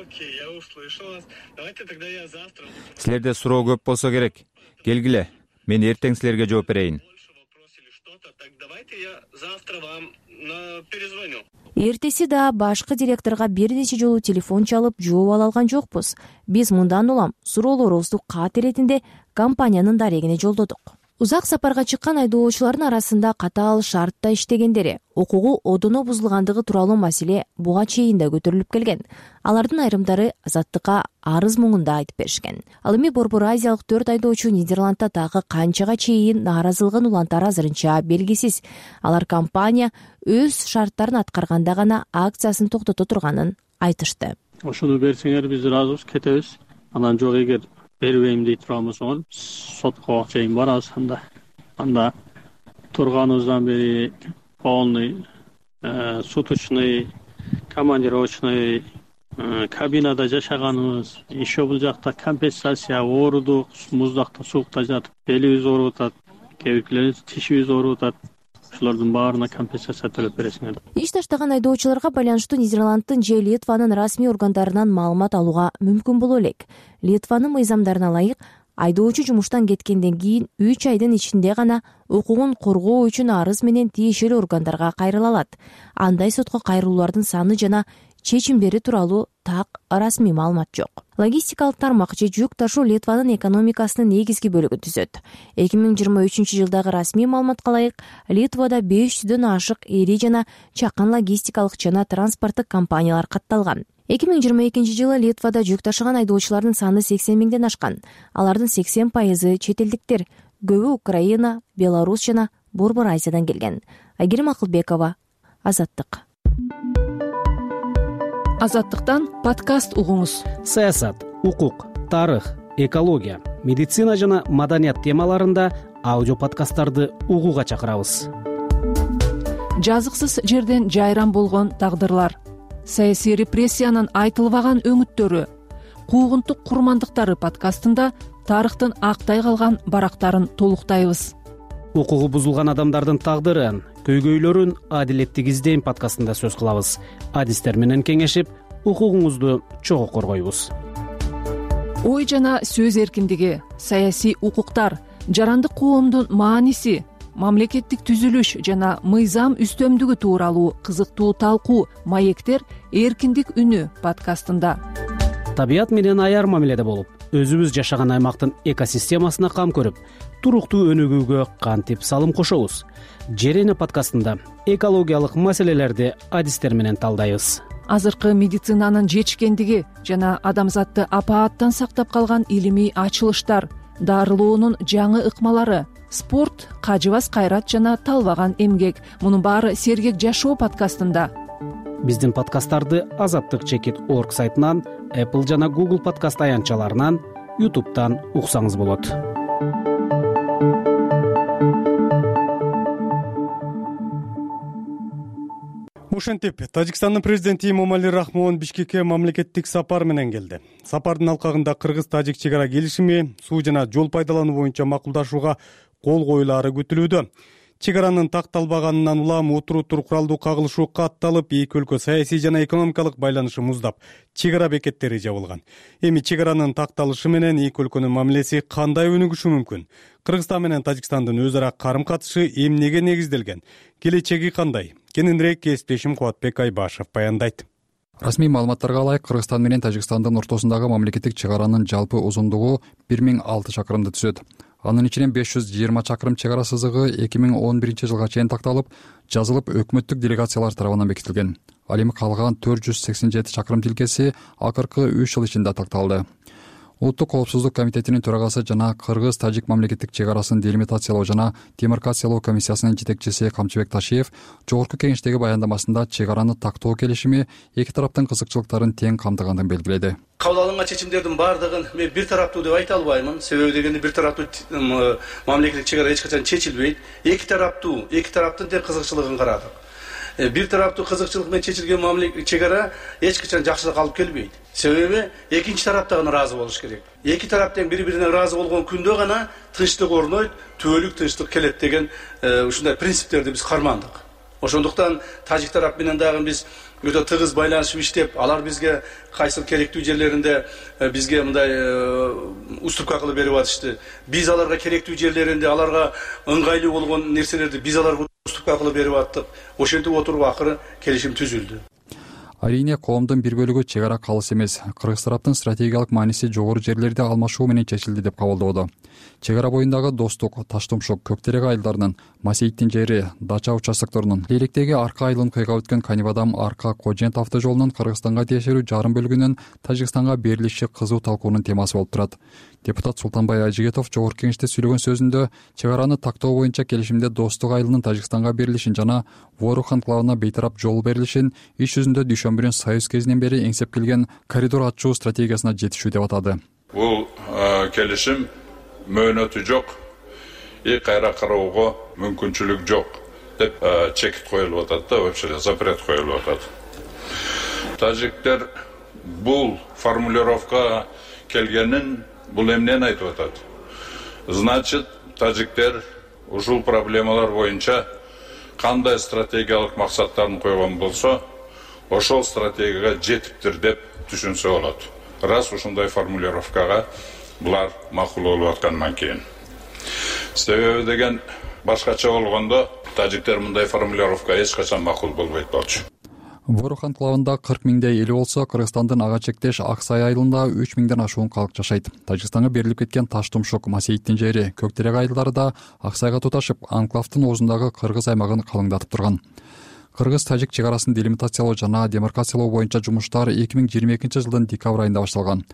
Speaker 18: Окей, я услышал вас. Давайте тогда я завтра.
Speaker 14: Силерде суроо көп болсо керек. Келгиле. Мен эртең силерге жооп берейин.
Speaker 18: Так давайте я завтра вам перезвоню.
Speaker 17: Эртеси да башкы директорго бир нече жолу телефон чалып жооп ала алган жокпуз. Биз мындан улам суроолорубузду кат иретинде компаниянын дарегине жолдодук. Узак сапарга чыккан айдоочулардын арасында катаал шартта иштегендери, укугу одоно бузулгандыгы тууралуу маселе буга чейин да көтөрүлүп келген. Алардын айрымдары Азаттыкка арыз муңунда айтып беришкен. Ал эми Борбор Азиялык 4 айдоочу Нидерландда дагы канчага чейин нааразылыгын улантары азырынча белгисиз. Алар компания өз шарттарын аткарганда гана акциясын токтото турганын айтышты.
Speaker 16: Ошону берсеңер биз ыраазыбыз, кетебиз. Анан жок, эгер бербейм дейт турамыз, сотко чейин барабыз. Анда турганыбыздан бери полный суточный, командировочный кабинада жашаганыбыз, еще бул жакта компенсация оорудук, муздакта, суукта жатып белибиз ооруп атат, кээ биркилерибиз тишибиз ооруп атат. Ошолордун баарына компенсация төлөп бересиңер.
Speaker 17: Иш таштаган айдоочуларга байланыштуу Нидерланддын же Литванын расмий органдарынан маалымат алууга мүмкүн боло элек. Литванын мыйзамдарына ылайык, айдоочу жумуштан кеткенден кийин 3 айдын ичинде гана укугун коргоо үчүн арыз менен тиешелүү органдарга кайрыла алат. Андай сотко кайрылуулардын саны жана чечимдери тууралуу так расмий маалымат жок. Логистикалык тармак же жүк ташуу Литванын экономикасынын негизги бөлүгүн түзөт. 2023-жылдагы расмий маалыматка ылайык, Литвада 500дөн ашык ири жана чакан логистикалык жана транспорттук компаниялар катталган. 2022-жылы Литвада жүк ташыган айдоочулардын саны 80 миңден ашкан. Алардын 80% чет элдиктер, көбү Украина, Беларусь жана Борбор Азиядан келген. Айгерим Акылбекова, Азаттык.
Speaker 19: Азаттыктан подкаст угуңуз. Саясат, укук, тарых, экология, медицина жана маданият темаларында аудио подкасттарды угууга чакырабыз. Жазыксыз жерден жайран болгон тагдырлар, саясий репрессиянын айтылбаган өңүттөрү, куугунтук курмандыктары подкастында тарыхтын актай калган барактарын толуктайбыз. Укугу бузулган адамдардын тагдырын, көйгөйлөрүн адилеттик издейм подкастында сөз кылабыз. Адистер менен кеңешип, укугуңузду чогуу коргойбуз. Ой жана сөз эркиндиги, саясий укуктар, жарандык коомдун мааниси, мамлекеттик түзүлүш жана мыйзам үстөмдүгү тууралуу кызыктуу талкуу маектер эркиндик үнү подкастында. Табият менен аяр мамиледе болуп, өзүбүз жашаган аймактын экосистемасына кам көрүп, туруктуу өнүгүүгө кантип салым кошобуз. Жерене подкастында экологиялык маселелерди адистер менен талдайбыз. Азыркы медицинанын жетишкендиги жана адамзатты апааттан сактап калган илимий ачылыштар, дарылоонун жаңы ыкмалары, спорт, кажыбас кайрат жана талбаган эмгек. Мунун баары Сергек жашоо подкастында. Биздин подкасттарды azattik.org сайтынан, Apple жана Google подкаст аянтчаларынан, YouTube'дан уксаңыз болот.
Speaker 1: Ошентип, Тажикстандын президенти Эмомали Рахмон Бишкекке мамлекеттик сапар менен келди. Сапардын алкагында кыргыз-тажик чек ара келишими, суу жана жол пайдалануу боюнча макулдашууга кол коюлаары күтүлүүдө. Чек аранын такталбаганынан улам отуруутур куралдуу кагылышуу катталып, эки өлкө саясий жана экономикалык байланышы муздап, чек ара бекеттери жабылган. Эми чек аранын такталышы менен эки өлкөнүн мамилеси кандай өнүгүшү мүмкүн? Кыргызстан менен Тажикстандын өз ара карым-катышы эмнеге негизделген? Келечеги кандай? Кененирээк кесиптешим Кубатбек Айбашев баяндайт.
Speaker 20: Расмий маалыматтарга ылайык, Кыргызстан менен Тажикстандын ортосундагы мамлекеттик чек аранын жалпы узундугу 1006 чакырымды түзөт. Анын ичинен 520 чакырым чек ара сызыгы 2011 жылга чейин такталып, жазылып өкмөттүк делегациялар тарабынан бекитилген. Ал эми калган 487 чакырым тилкеси акыркы 3 жыл ичинде такталды. Улуттук коопсуздук комитетинин төрагасы жана Кыргыз-Тажик мамлекеттик чек арасын делимитациялоо жана демаркациялоо комиссиясынын жетекчиси Камчыбек Ташиев жогорку кеңештеги баяндамасында чек араны тактоо келишими эки тараптын кызыкчылыктарын тең камтыгандыгын белгиледи.
Speaker 21: Кабыл алынган чечимдердин бардыгын мен бир тараптуу деп айта албаймын. Себеби дегенде бир тараптуу мамлекеттик чек ара эч качан чечилбейт. Эки тараптын тең кызыкчылыгын карадык. Бир тараптуу кызыкчылык менен чечилген мамлекеттик чек ара эч качан жакшылык алып келбейт. Себеби экинчи тарап да ыраазы болуш керек. Эки тарап тең бири-бирине ыраазы болгон күндө гана тынчтык орнойт, түбөлүк тынчтык келет деген ушундай принциптерди биз кармандык. Ошондуктан тажик тарап менен дагы биз өтө тыгыз байланышып иштеп, алар бизге кайсы керектүү жерлеринде бизге мындай уступка кылып берип атышты. Биз аларга керектүү жерлеринде аларга ыңгайлуу болгон нерселерди биз аларга уступка кылып берип аттык. Ошентип отуруп акыры келишим түзүлдү.
Speaker 20: Арийне коомдун бир бөлүгү чек ара калыс эмес, кыргыз тараптын стратегиялык мааниси жогору жерлерди алмашуу менен чечилди деп кабылдоодо. Чек ара боюндагы Достук, Таштумшук, Көктерек айылдарынын, Масейиттин жери, Дача участокторунун, Лейлектеги Арка айылын кыйгап өткөн Канибадам Арка Кожент автожолунун Кыргызстанга тиешелүү жарым бөлүгүнүн Тажикстанга берилиши кызуу талкуунун темасы болуп турат. Депутат Султанбай Ажигетов жогорку кеңеште сүйлөгөн сөзүндө чек араны тактоо боюнча келишимде Достук айылынын Тажикстанга берилишин жана Ворух анклавына бейтарап жол берилишин иш жүзүндө дүйшөмбүнүн Союз кезинен бери эңсеп келген коридор ачуу стратегиясына жетишүү деп атады.
Speaker 6: Бул келишим мөөнөтү жок, кайра кароого мүмкүнчүлүк жок деп чекит коюлуп атат да, вообще запрет коюлуп атат. Тажиктер бул формулировка келгенин бул эмнени айтып атат? Значит, тажиктер ушул проблемалар боюнча кандай стратегиялык максаттарын койгон болсо, ошол стратегияга жетиптир деп түшүнсө болот. Раз ушундай формулировкага булар макул болуп аткандан кийин. Себеби деген башкача болгондо тажиктер мындай формулировка эч качан макул болбойт болчу.
Speaker 20: Ворух анклавында 40 миңдей эли болсо, Кыргызстандын ага чектеш Аксай айылында 3 миңден ашуун калк жашайт. Тажикстанга берилип кеткен Таштумшук, Масейиттин жери, Көктерек айылдары да Аксайга туташып, анклавдын оозундагы кыргыз аймагын калыңдатып турган. Кыргыз-Тажик чек арасын делимитациялоо жана демаркациялоо боюнча жумуштар 2022 жылдын декабрь айында башталган.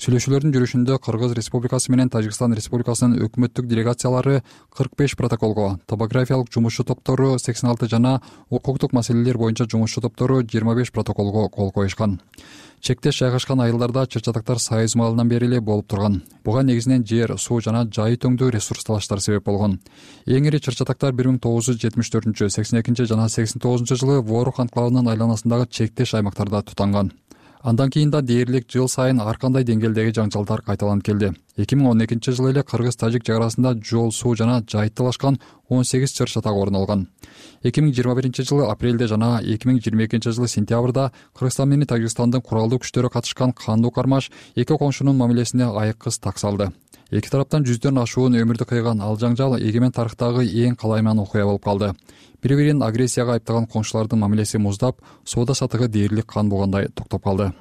Speaker 20: Сүйлөшүүлөрдүн жүрүшүндө Кыргыз Республикасы менен Тажикстан Республикасынын өкмөттүк делегациялары 45 протоколго, топографиялык жумушчу топтору 86 жана укуктук маселелер боюнча жумушчу топтору 25 протоколго кол коюшкан. Чектеш жайгашкан айылдарда чыр-чатактар Союз маалынан бери эле болуп турган. Буга негизинен жер, суу жана жайы төңдүү ресурс талаштар себеп болгон. Эң ири чыр-чатактар 1974, 82 жана 89 жылы Ворух анклавынын айланасындагы чектеш аймактарда тутанган. Андан кийин да дээрлик жыл сайын ар кандай деңгээлдеги жаңжалдар кайталанып келди. 2012 жылы эле Кыргыз-Тажик чек арасында жол, суу жана жай талашкан 18 чыр-чатак орун алган. 2021 жылы апрелде жана 2022 жылы сентябрда Кыргызстан менен Тажикстандын куралдуу күчтөрү катышкан кандуу кармаш эки коңшунун мамилесине айыккыс так салды. Эки тараптан жүздөн ашуун өмүрдү кыйган ал жаңжал эгемен тарыхтагы эң калайман окуя болуп калды. Бири-бирин агрессияга айыптаган коңшулардын мамилеси муздап, соода сатыгы дээрлик кан болгондой токтоп калды.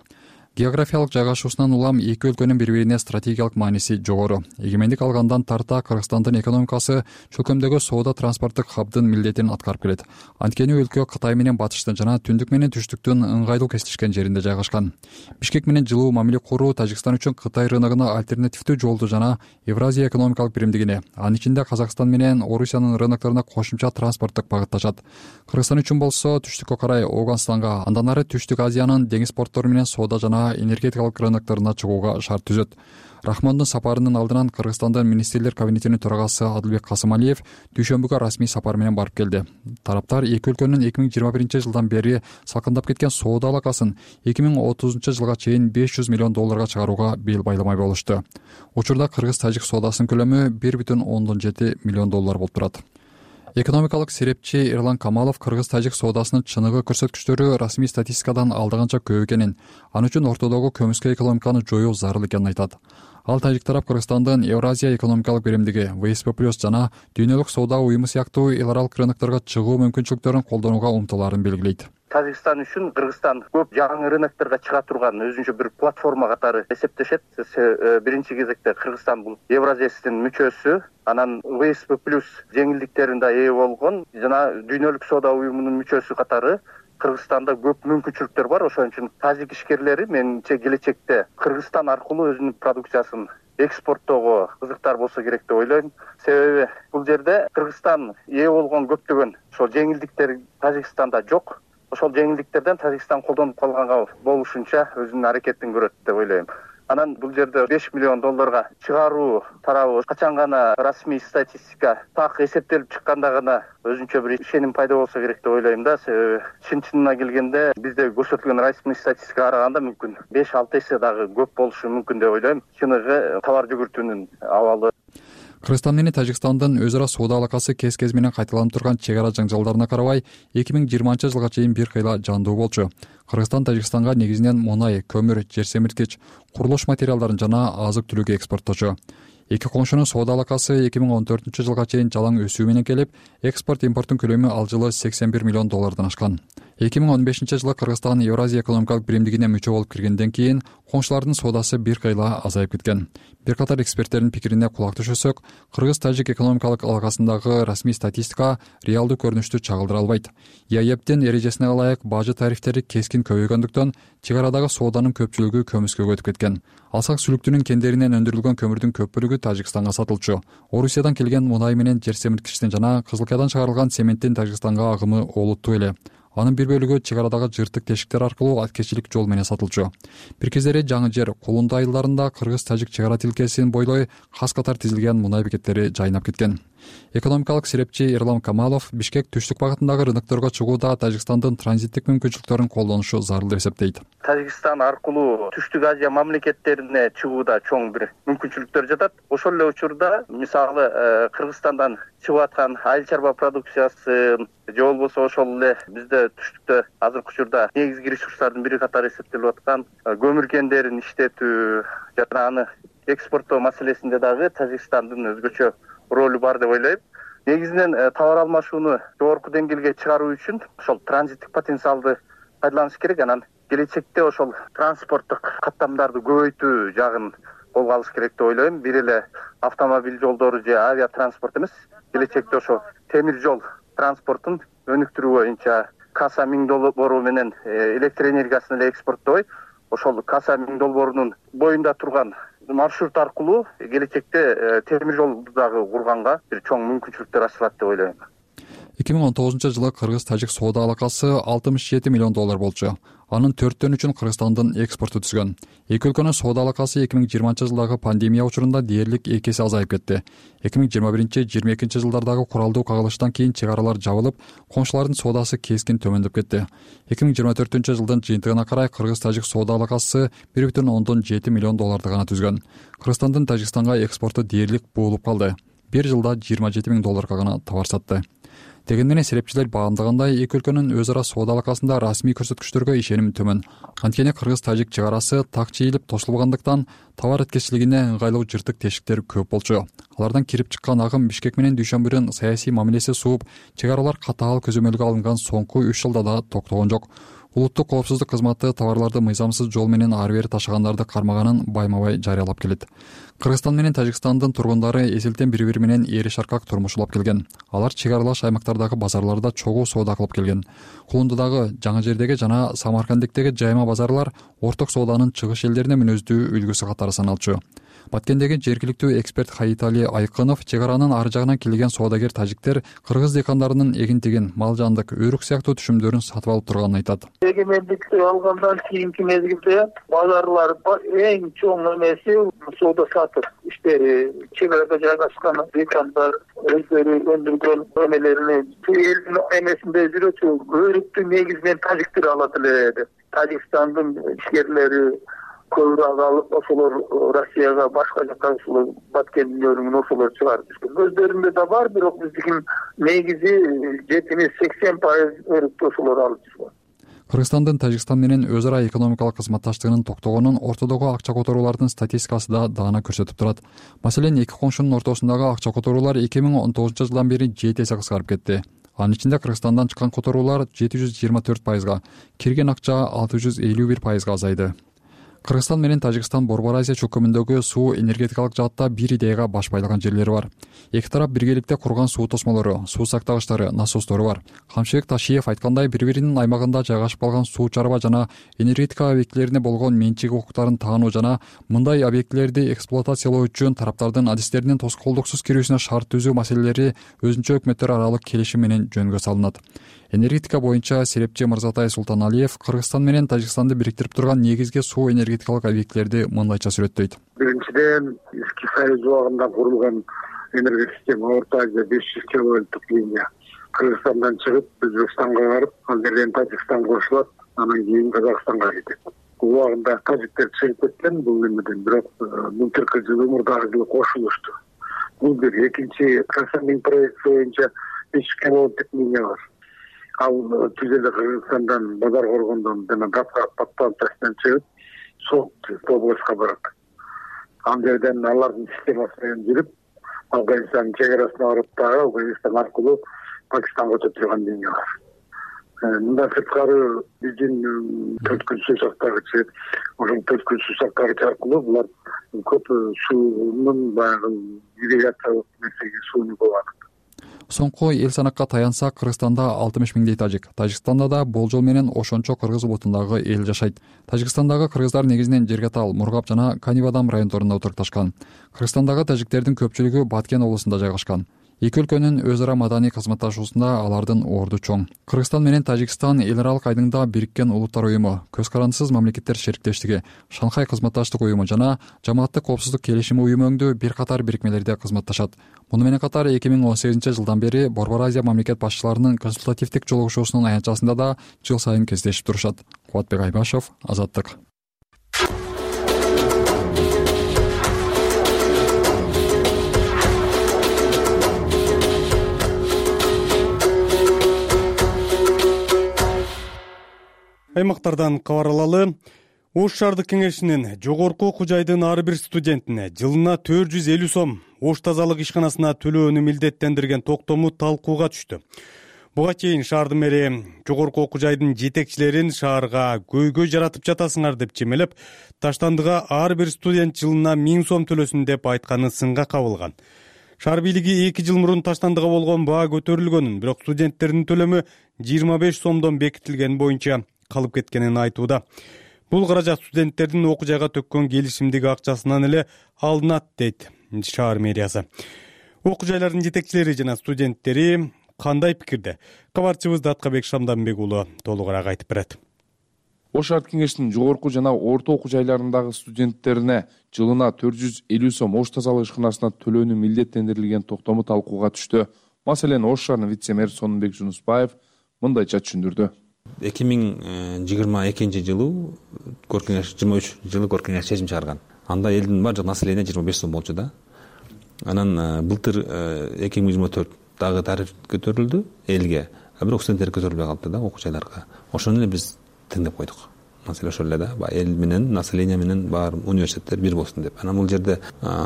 Speaker 20: Географиялык жайгашуусунан улам эки өлкөнүн бири-бирине стратегиялык мааниси жогору. Эгемендик алгандан тарта Кыргызстандын экономикасы чөлкөмдөгү соода транспорттук хабдын милдетин аткарып келет. Анткени өлкө Кытай менен батыштын жана түндүк менен түштүктүн ыңгайлуу кесиштешкен жеринде жайгашкан. Бишкек менен жылуу мамиле куруу Тажикстан үчүн Кытай рыногуна альтернативдүү жолду жана Евразия экономикалык биримдигине, анын ичинде Казакстан менен Орусиянын рынокторуна кошумча транспорттук багыт ачат. Кыргызстан үчүн болсо түштүккө карай Ооганстанга, андан ары Түштүк Азиянын деңиз порттору менен соода жана энергетикалык рынокторуна чыгууга шарт түзөт. Рахмондун сапарынын алдынан Кыргызстандын министрлер кабинетинин төрагасы Адылбек Касымалиев дүйшөмбүгө расмий сапар менен барып келди. Тараптар эки өлкөнүн 2021 жылдан бери салкындап кеткен соода алакасын 2030 жылга чейин $500 миллион чыгарууга бел байламай болушту. Учурда Кыргыз-Тажик соодасынын көлөмү $1,7 миллион болуп турат. Экономикалык серепчи Эрлан Камалов Кыргыз-Тажик соодасынын чыныгы көрсөткүчтөрү расмий статистикадан алдаганча көп экенин, аны үчүн ортодогу көмүскө экономиканы жоюу зарыл экенин айтат. Ал тажик тарап Кыргызстандын Евразия экономикалык биримдиги, ВСП+ жана дүйнөлүк соода уюму сыяктуу эл аралык рынокторго чыгуу мүмкүнчүлүктөрүн колдонууга умтулаарын белгилейт.
Speaker 2: Тажикстан үчүн Кыргызстан көп жаңы рынокторго чыга турган өзүнчө бир платформа катары эсептешет. Биринчи кезекте Кыргызстан бул Евразиянын мүчөсү, анан ВСП+ жеңилдиктерин да ээ болгон жана Дүйнөлүк соода уюмунун мүчөсү катары Кыргызстанда көп мүмкүнчүлүктөр бар. Ошон үчүн тажик ишкерлери менимче келечекте Кыргызстан аркылуу өзүнүн продукциясын экспорттоого кызыктар болсо керек деп ойлойм. Себеби бул жерде Кыргызстан ээ болгон көптөгөн ошол жеңилдиктер Тажикстанда жок. Ошол жеңилдиктерден Тажикстан колдонуп калганга болушунча өзүнүн аракетин көрөт деп ойлойм. Анан бул жерде $5 миллион чыгаруу тарабы качан гана расмий статистика так эсептелип чыкканда гана өзүнчө бир ишеним пайда болсо керек деп ойлойм да. Себеби чын-чынына келгенде бизде көрсөтүлгөн расмий статистикага караганда мүмкүн 5-6 эсе дагы көп болушу мүмкүн деп ойлойм. Чыныгы товар жүгүртүүнүн абалы.
Speaker 20: Кыргызстан менен Тажикстандын өз ара соода алакасы кез менен кайталанып турган чек ара жаңжалдарына карабай 2020-жылга чейин бир кыйла жандуу болчу. Кыргызстан Тажикстанга негизинен мунай, көмүр, жер семирткич, курулуш материалдарын жана азык-түлүк экспортточу. Эки коңшунун соода алакасы 2014-жылга чейин жалаң өсүү менен келип, экспорт-импорттун көлөмү ал жылы $81 миллион ашкан. 2015-жылы Кыргызстан Евразия экономикалык биримдигине мүчө болуп киргенден кийин коңшулардын соодасы бир кыйла азайып кеткен. Бир катар эксперттердин пикирине кулак түшөсөк, Кыргыз-Тажик экономикалык алакасындагы расмий статистика реалдуу көрүнүштү чагылдыра албайт. ЕАЭБдин эрежесине ылайык бажы тарифтери кескин көбөйгөндүктөн чек арадагы сооданын көпчүлүгү көмүскөгө өтүп кеткен. Алсак сүлүктүнүн кендеринен өндүрүлгөн көмүрдүн көп бөлүгү Тажикстанга сатылчу. Орусиядан келген мунай менен жер семирткичтин жана Кызылкаядан чыгарылган цементтин Тажикстанга агымы олуттуу эле. Анын бир бөлүгү чек арадагы жыртык тешиктер аркылуу аткечилик жол менен сатылчу. Бир кездери жаңы жер Кулунду айылдарында Кыргыз-Тажик чек ара тилкесин бойлой кас катар тизилген мунай бекеттери жайнап кеткен. Экономикалык серепчи Эрлам Камалов Бишкек түштүк багытындагы рынокторго чыгууда Тажикстандын транзиттик мүмкүнчүлүктөрүн колдонушу зарыл деп эсептейт.
Speaker 2: Тажикстан аркылуу Түштүк Азия мамлекеттерине чыгууда чоң бир мүмкүнчүлүктөр жатат. Ошол эле учурда мисалы Кыргызстандан чыгып аткан айыл чарба продукциясы же болбосо ошол эле бизде түштүктө азыркы учурда негизги ресурстардын бири катары эсептелип аткан көмүр кендерин иштетүү жана аны экспорттоо маселесинде дагы Тажикстандын өзгөчө ролу бар деп ойлойм. Негизинен товар алмашууну жогорку деңгээлге чыгаруу үчүн ошол транзиттик потенциалды пайдаланыш керек. Анан келечекте ошол транспорттук каттамдарды көбөйтүү жагын колго алыш керек деп ойлойм. Бир эле автомобиль жолдору же авиа транспорт эмес, келечекте ошо темир жол транспортун өнүктүрүү боюнча Каса 1000 долбоору менен электр энергиясын эле экспорттобой, ошол Каса 1000 долбоорунун боюнда турган маршрут аркылуу келечекте темир жолду дагы курганга бир чоң мүмкүнчүлүктөр ачылат деп ойлойм.
Speaker 20: 2019-жылы Кыргыз-Тажик соода алакасы $67 миллион болчу. Анын 4/3-ün Кыргызстандын экспорту түзгөн. Эки өлкөнүн соода алакасы 2020-жылдагы пандемия учурунда дээрлик 2 эсе азайып кетти. 2021-22-жылдардагы куралдуу кагылыштан кийин чек аралар жабылып, коңшулардын соодасы кескин төмөндөп кетти. 2024-жылдын жыйынтыгына карай Кыргыз-Тажик соода алакасы $1.7 миллион гана түзгөн. Кыргызстандын Тажикстанга экспорту дээрлик буулуп калды. Бир жылда $27 миң гана товар сатты. Деген менен серепчилер баамдагандай, эки өлкөнүн өз ара соода алакасында расмий көрсөткүчтөргө ишеним төмөн. Анткени Кыргыз-Тажик чек арасы так чийилип тошулбагандыктан товар эткечилигине ыңгайлуу жыртык тешиктер көп болчу. Алардан кирип чыккан агым Бишкек менен Дүйшөмбүдүн саясий мамилеси сууп, чек аралар катаал көзөмөлгө алынган соңку 3 жылда да токтогон жок. Улуттук коопсуздук кызматы товарларды мыйзамсыз жол менен ары бери ташыгандарды кармаганын байма-бай жарыялап келет. Кыргызстан менен Тажикстандын тургундары эзелтен бири-бири менен эри шаркак турмуш улап келген. Алар чек аралаш аймактардагы базарларда чогуу соода кылып келген. Кулундудагы, Жаңы Жердеги жана Самарканддиктеги жайма базарлар орток сооданын чыгыш элдерине мүнөздүү үлгүсү катары саналчу. Баткендеги жергиликтүү эксперт Хаитали Айкынов чек аранын ары жагынан келген соодагер тажиктер кыргыз дыйкандарынын эгин-тегин, мал жандык, өрүк сыяктуу түшүмдөрүн сатып алып турганын айтат.
Speaker 22: Эгемендикти алгандан кийинки мезгилде базарлар эң чоң эмеси соода сатып иштери, чек арада жайгашкан дыйкандар өздөрү өндүргөн эмелерини элдин эмесинде жүрөчү өрүктү негизинен тажиктер алат эле. Тажикстандын ишкерлери көбүрөөк алып, ошолор Россияга, башка жака ошолор Баткендин өрүгүн ошолор чыгарып жүргөн. Өздөрүндө да бар, бирок биздин негизи 70-80% өрүктү ошолор алып жүргөн.
Speaker 20: Кыргызстандын Тажикстан менен өз ара экономикалык кызматташтыгынын токтогонун ортодогу акча которуулардын статистикасы да даана көрсөтүп турат. Маселен, эки коңшунун ортосундагы акча которуулар 2019-жылдан бери 7 эсе кыскарып кетти. Анын ичинде Кыргызстандан чыккан которуулар 724%, кирген акча 651% азайды. Кыргызстан менен Тажикстан Борбор Азия чөкөмүндөгү суу энергетикалык жаатта бир идеяга баш байлаган жерлери бар. Эки тарап биргеликте курган суу тосмолору, суу сактагычтары, насостору бар. Камчыбек Ташиев айткандай, бири-биринин аймагында жайгашып калган суу чарба жана энергетика объектилерине болгон менчик укуктарын таануу жана мындай объектилерди эксплуатациялоо үчүн тараптардын адистеринин тоскоолдуксуз кирүүсүнө шарт түзүү маселелери өзүнчө өкмөттөр аралык келишим менен жөнгө салынат. Энергетика боюнча серепчи Мырзатай Султаналиев Кыргызстан менен Тажикстанды бириктирип турган негизги суу энергетикалык объектилерди мындайча сүрөттөйт.
Speaker 4: Биринчиден, Эски Союз убагында курулган энергия система Орто Азия 500 киловольттук линия Кыргызстандан чыгып, Өзбекстанга барып, ал жерден Тажикстанга кошулат, анан кийин Казакстанга кетет. Убагында тажиктер чыгып кеткен бул немеден, бирок былтыркы жылы мурдагы жылы кошулушту. Бул бир. Экинчи, Казакстандын проекти боюнча 500 киловольттук линия бар. Ал түзеле Кыргызстандан, Базар Коргондон жана Подпантастан чыгып, Солтүстүк областка барат. Ал жерден алардын системасы менен жүрүп, Афганистандын чек арасына барып дагы Афганистан аркылуу Пакистанга өтө турган линия бар. Мындан сырткары биздин төрткүл суу сактагычы, ошол төрткүл суу сактагыч аркылуу булар көп суунун баягы ирригациялык нерсеге сууну болот.
Speaker 20: Соңку эл санакка таянсак, Кыргызстанда 60 миңдей тажик, Тажикстанда да болжол менен ошончо кыргыз улутундагы эл жашайт. Тажикстандагы кыргыздар негизинен Жергатал, Мургап жана Канибадам райондорунда отурукташкан. Кыргызстандагы тажиктердин көпчүлүгү Баткен облусунда жайгашкан. Эки өлкөнүн өз ара маданий кызматташуусунда алардын орду чоң. Кыргызстан менен Тажикстан эл аралык айдыңда Бириккен Улуттар уюму, Көз карандысыз мамлекеттер шериктештиги, Шанхай кызматташтык уюму жана Жамааттык коопсуздук келишими уюму өңдүү бир катар бирикмелерде кызматташат. Муну менен катар 2018-жылдан бери Борбор Азия мамлекет башчыларынын консультативдик жолугушуусунун аянтчасында да жыл сайын кездешип турушат. Кубатбек Айбашев, Азаттык.
Speaker 1: Аймактардан кабар алалы. Ош шаардык кеңешинин жогорку окуу жайдын ар бир студентине жылына 450 сом Ош тазалык ишканасына төлөөнү милдеттендирген токтому талкууга түштү. Буга чейин шаардын мэри жогорку окуу жайдын жетекчилерин шаарга көйгөй жаратып жатасыңар деп чемелеп, Таштандыга ар бир студент жылына 1000 сом төлөсүн деп айтканы сынга кабылган. Шаар бийлиги 2 жыл мурун Таштандыга болгон баа көтөрүлгөнүн, бирок студенттердин төлөмү 25 сомдон бекитилген боюнча калып кеткенин айтууда. Бул каражат студенттердин окуу жайга төккөн келишимдеги акчасынан эле алынат, дейт шаар мэриясы. Окуу жайлардын жетекчилери жана студенттери кандай пикирде? Кабарчыбыз Даткабек Шамданбек уулу толугураак айтып берет.
Speaker 7: Ош шаардык кеңешинин жогорку жана орто окуу жайларындагы студенттерине жылына 450 сом Ош тазалык ишканасына төлөөнү милдеттендирилген токтому талкууга түштү. Маселени Ош шаарынын вице-мэр Сонунбек Жунусбаев мындайча түшүндүрдү.
Speaker 23: 2022 жылы Көркеңеш 23 жылы Көркеңеш чечим чыгарган. Анда элдин баардык население 25 сом болчу да. Анан былтыр 2024 дагы тариф көтөрүлдү элге. Бирок студенттер көтөрүлбөй калды да окуу жайларга. Ошону эле биз тыңдап койдук. Маселе ошол эле да. Эл менен население менен бар университеттер бир болсун деп. Анан бул жерде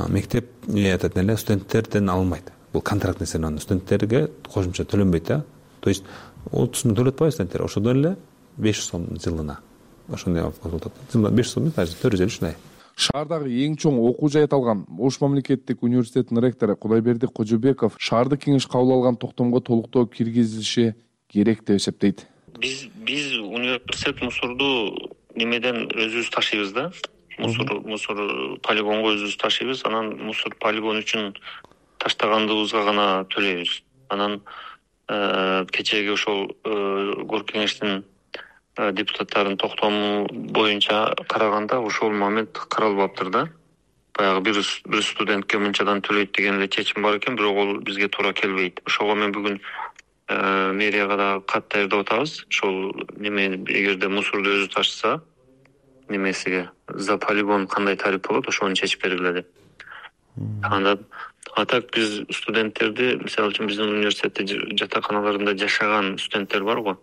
Speaker 23: мектеп айтат эле студенттерден алынбайт. Бул контракт нерсе, студенттерге кошумча төлөнбөйт да. То есть отуз миң төлөп атпайбы студенттер? Ошодон эле 500 сом жылына. Ошондой болот. Жылына 500 сом, 450 ушундай.
Speaker 7: Шаардагы эң чоң окуу жай аталган Ош мамлекеттик университетинин ректору Кудайберди Кожобеков шаардык кеңеш кабыл алган токтомго толуктоо киргизилиши керек деп эсептейт.
Speaker 24: Биз университет мусорду немеден өзүбүз ташыйбыз да. Мусор полигонго өзүбүз ташыйбыз. Анан мусор полигон үчүн таштагандыбызга гана төлөйбүз. Анан кечеги ошол Көркеңештин депутаттарынын токтому боюнча караганда ошол момент каралбаптыр да. Баягы бир студентке мынчадан төлөйт деген эле чечим бар экен, бирок ол бизге туура келбейт. Ошого мен бүгүн мэрияга да кат даярдап атабыз. Ошол неме эгерде мусорду өзү ташыса, немесиге за полигон кандай тариф болот, ошону чечип бергиле деп. Анда атак биз студенттерди, мисалы үчүн биздин университетте жатаканаларында жашаган студенттер бар го.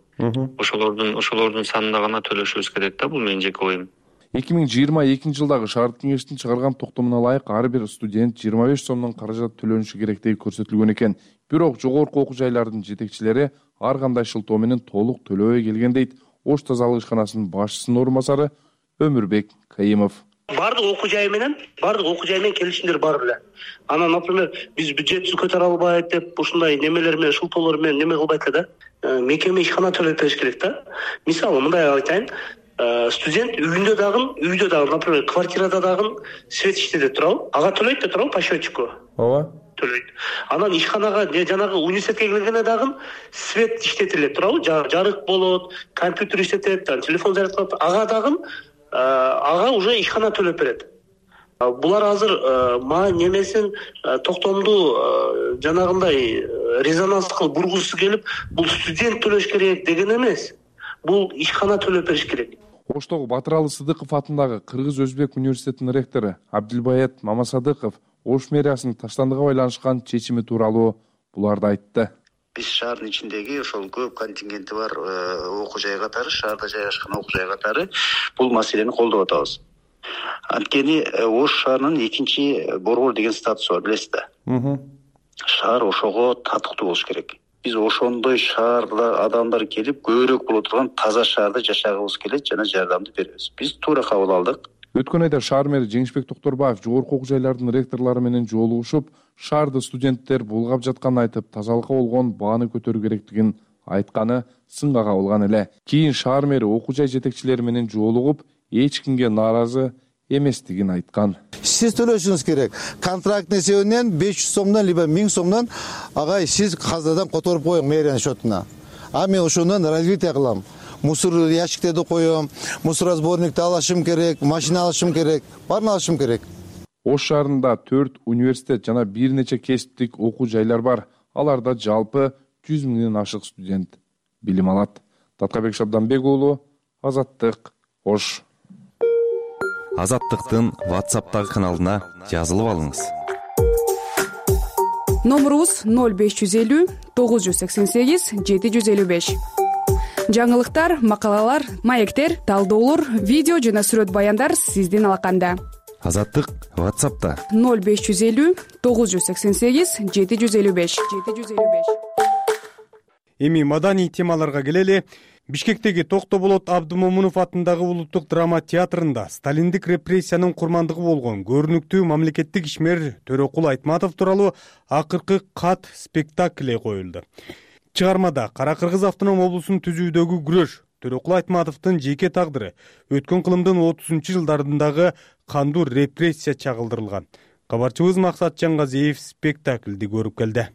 Speaker 24: Ошолордун санына гана төлөшүбүз керек да, бул менин жеке оюм.
Speaker 7: 2022 жылдагы шаардык кеңештин чыгарган токтомуна ылайык ар бир студент 25 сомдон каражат төлөнүшү керектиги көрсөтүлгөн экен. Бирок жогорку окуу жайлардын жетекчилери ар кандай шылтоо менен толук төлөбөй келген дейт Ош тазалык ишканасынын башчысынын орун басары Өмүрбек Кайымов.
Speaker 5: Бардык окуу жай менен келишимдер бар эле. Анан, например, биз бюджетти көтөрө албайт деп ушундай немелер менен, шылтоолор менен неме кылбайт эле да. Мекеме ишкана төлөп бериш керек да. Мисалы, мындай айтайын, студент үйдө дагы, например, квартирада дагы свет иштеде турабы? Ага төлөйт да турабы по счетчику? Ооба. Төлөйт. Анан ишканага, жанагы университетке келгенде дагы свет иштетилет турабы? Жарык болот, компьютер иштетет, телефон зарядкалап, ага дагы ага уже ишкана төлөп берет. Булар азыр немесин токтомду жанагындай резонанс кылып бургусу келип, бул студент төлөш керек деген эмес. Бул ишкана төлөп бериш керек.
Speaker 7: Оштогу Батыралы Сыдыков атындагы Кыргыз-Өзбек университетинин ректору Абдилбаят Мамасадыков Ош мэриясынын таштандыга байланышкан чечими тууралуу буларды айтты.
Speaker 8: Биз шаардын ичиндеги ошол көп контингенти бар окуу жай катары, шаарда жайгашкан окуу жай катары бул маселени колдоп атабыз. Анткени Ош шаарынын экинчи борбор деген статусу бар, билесиз да. Шаар ошого татыктуу болуш керек. Биз ошондой шаарда адамдар келип, көбүрөөк боло турган таза шаарда жашагыбыз келет жана жардамды беребиз. Биз туура кабыл алдык.
Speaker 7: Өткөн айда шаар мэри Жеңишбек Токторбаев жогорку окуу жайлардын ректорлору менен жолугушуп, шаарда студенттер булгап жатканын айтып, тазалыкка болгон бааны көтөрүү керектигин айтканы сынга кабылган эле. Кийин шаар мэри окуу жай жетекчилери менен жолугуп, эч кимге нааразы эместигин айткан.
Speaker 9: Сиз төлөшүңүз керек. Контрактный есебинен 500 сомдон либо 1000 сомдон агай сиз казнадан которуп коюң мэриянын счетуна. А мен ошондон развитие кылам. Мусор ящиктерди коем, мусоросборникти алышым керек, машина алышым керек, баарын алышым керек.
Speaker 7: Ош шаарында 4 университет жана бир нече кесиптик окуу жайлар бар. Аларда жалпы 100 миңден ашык студент билим алат. Таткабек Шабданбек уулу, Азаттык, Ош.
Speaker 12: Азаттыктын WhatsApp'тагы каналына жазылып алыңыз.
Speaker 25: Номерубуз 0550 988 755. Жаңылыктар, макалалар, маектер, талдоолор, видео жана сүрөт баяндар сиздин алаканда.
Speaker 12: Азаттык WhatsApp'та
Speaker 25: 0550 988 755.
Speaker 1: Эми маданий темаларга келели. Бишкектеги Токтоболот Абдымомунов атындагы улуттук драма театрында сталиндик репрессиянын курмандыгы болгон көрүнүктүү мамлекеттик ишмер Төрөкул Айтматов тууралуу акыркы кат спектакли коюлду. Чыгармада Кара Кыргыз автоном облусун түзүүдөгү күрөш, Төрөкул Айтматовдун жеке тагдыры, өткөн кылымдын 30-жылдарындагы кандуу репрессия чагылдырылган. Кабарчыбыз Максат Жаңгазиев спектаклди көрүп келди.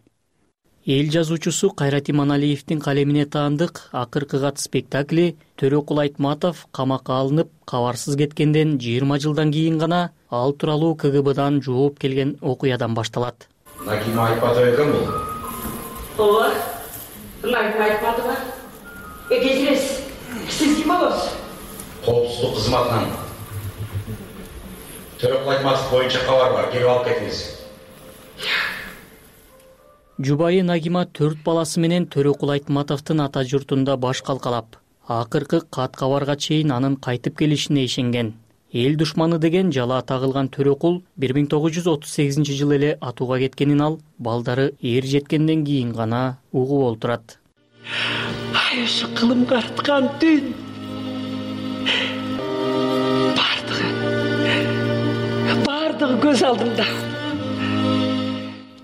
Speaker 26: Эл жазуучусу Кайрат Иманалиевдин калемине таандык акыркы кат спектакли Төрөкул Айтматов камакка алынып, кабарсыз кеткенден 20 жылдан кийин гана ал тууралуу КГБдан жооп келген окуядан башталат.
Speaker 27: Нагима Айтматова экен бул.
Speaker 28: Ооба. Нагима Айтматова. Кечиресиз. Сиз ким болосуз?
Speaker 27: Коопсуздук кызматынан. Төрөкул Айтматов боюнча кабар бар, келип алып кетиңиз.
Speaker 26: Жубайы Нагима 4 баласы менен Төрөкул Айтматовдун ата журтунда баш калкалап, акыркы кат кабарга чейин анын кайтып келишине ишенген. Эл душманы деген жала тагылган Төрөкул 1938 эле атууга кеткенин ал балдары эр жеткенден кийин гана угуп олтурат.
Speaker 28: Ай, ушу кылымга арткан түн. Бардыгы көз алдымда.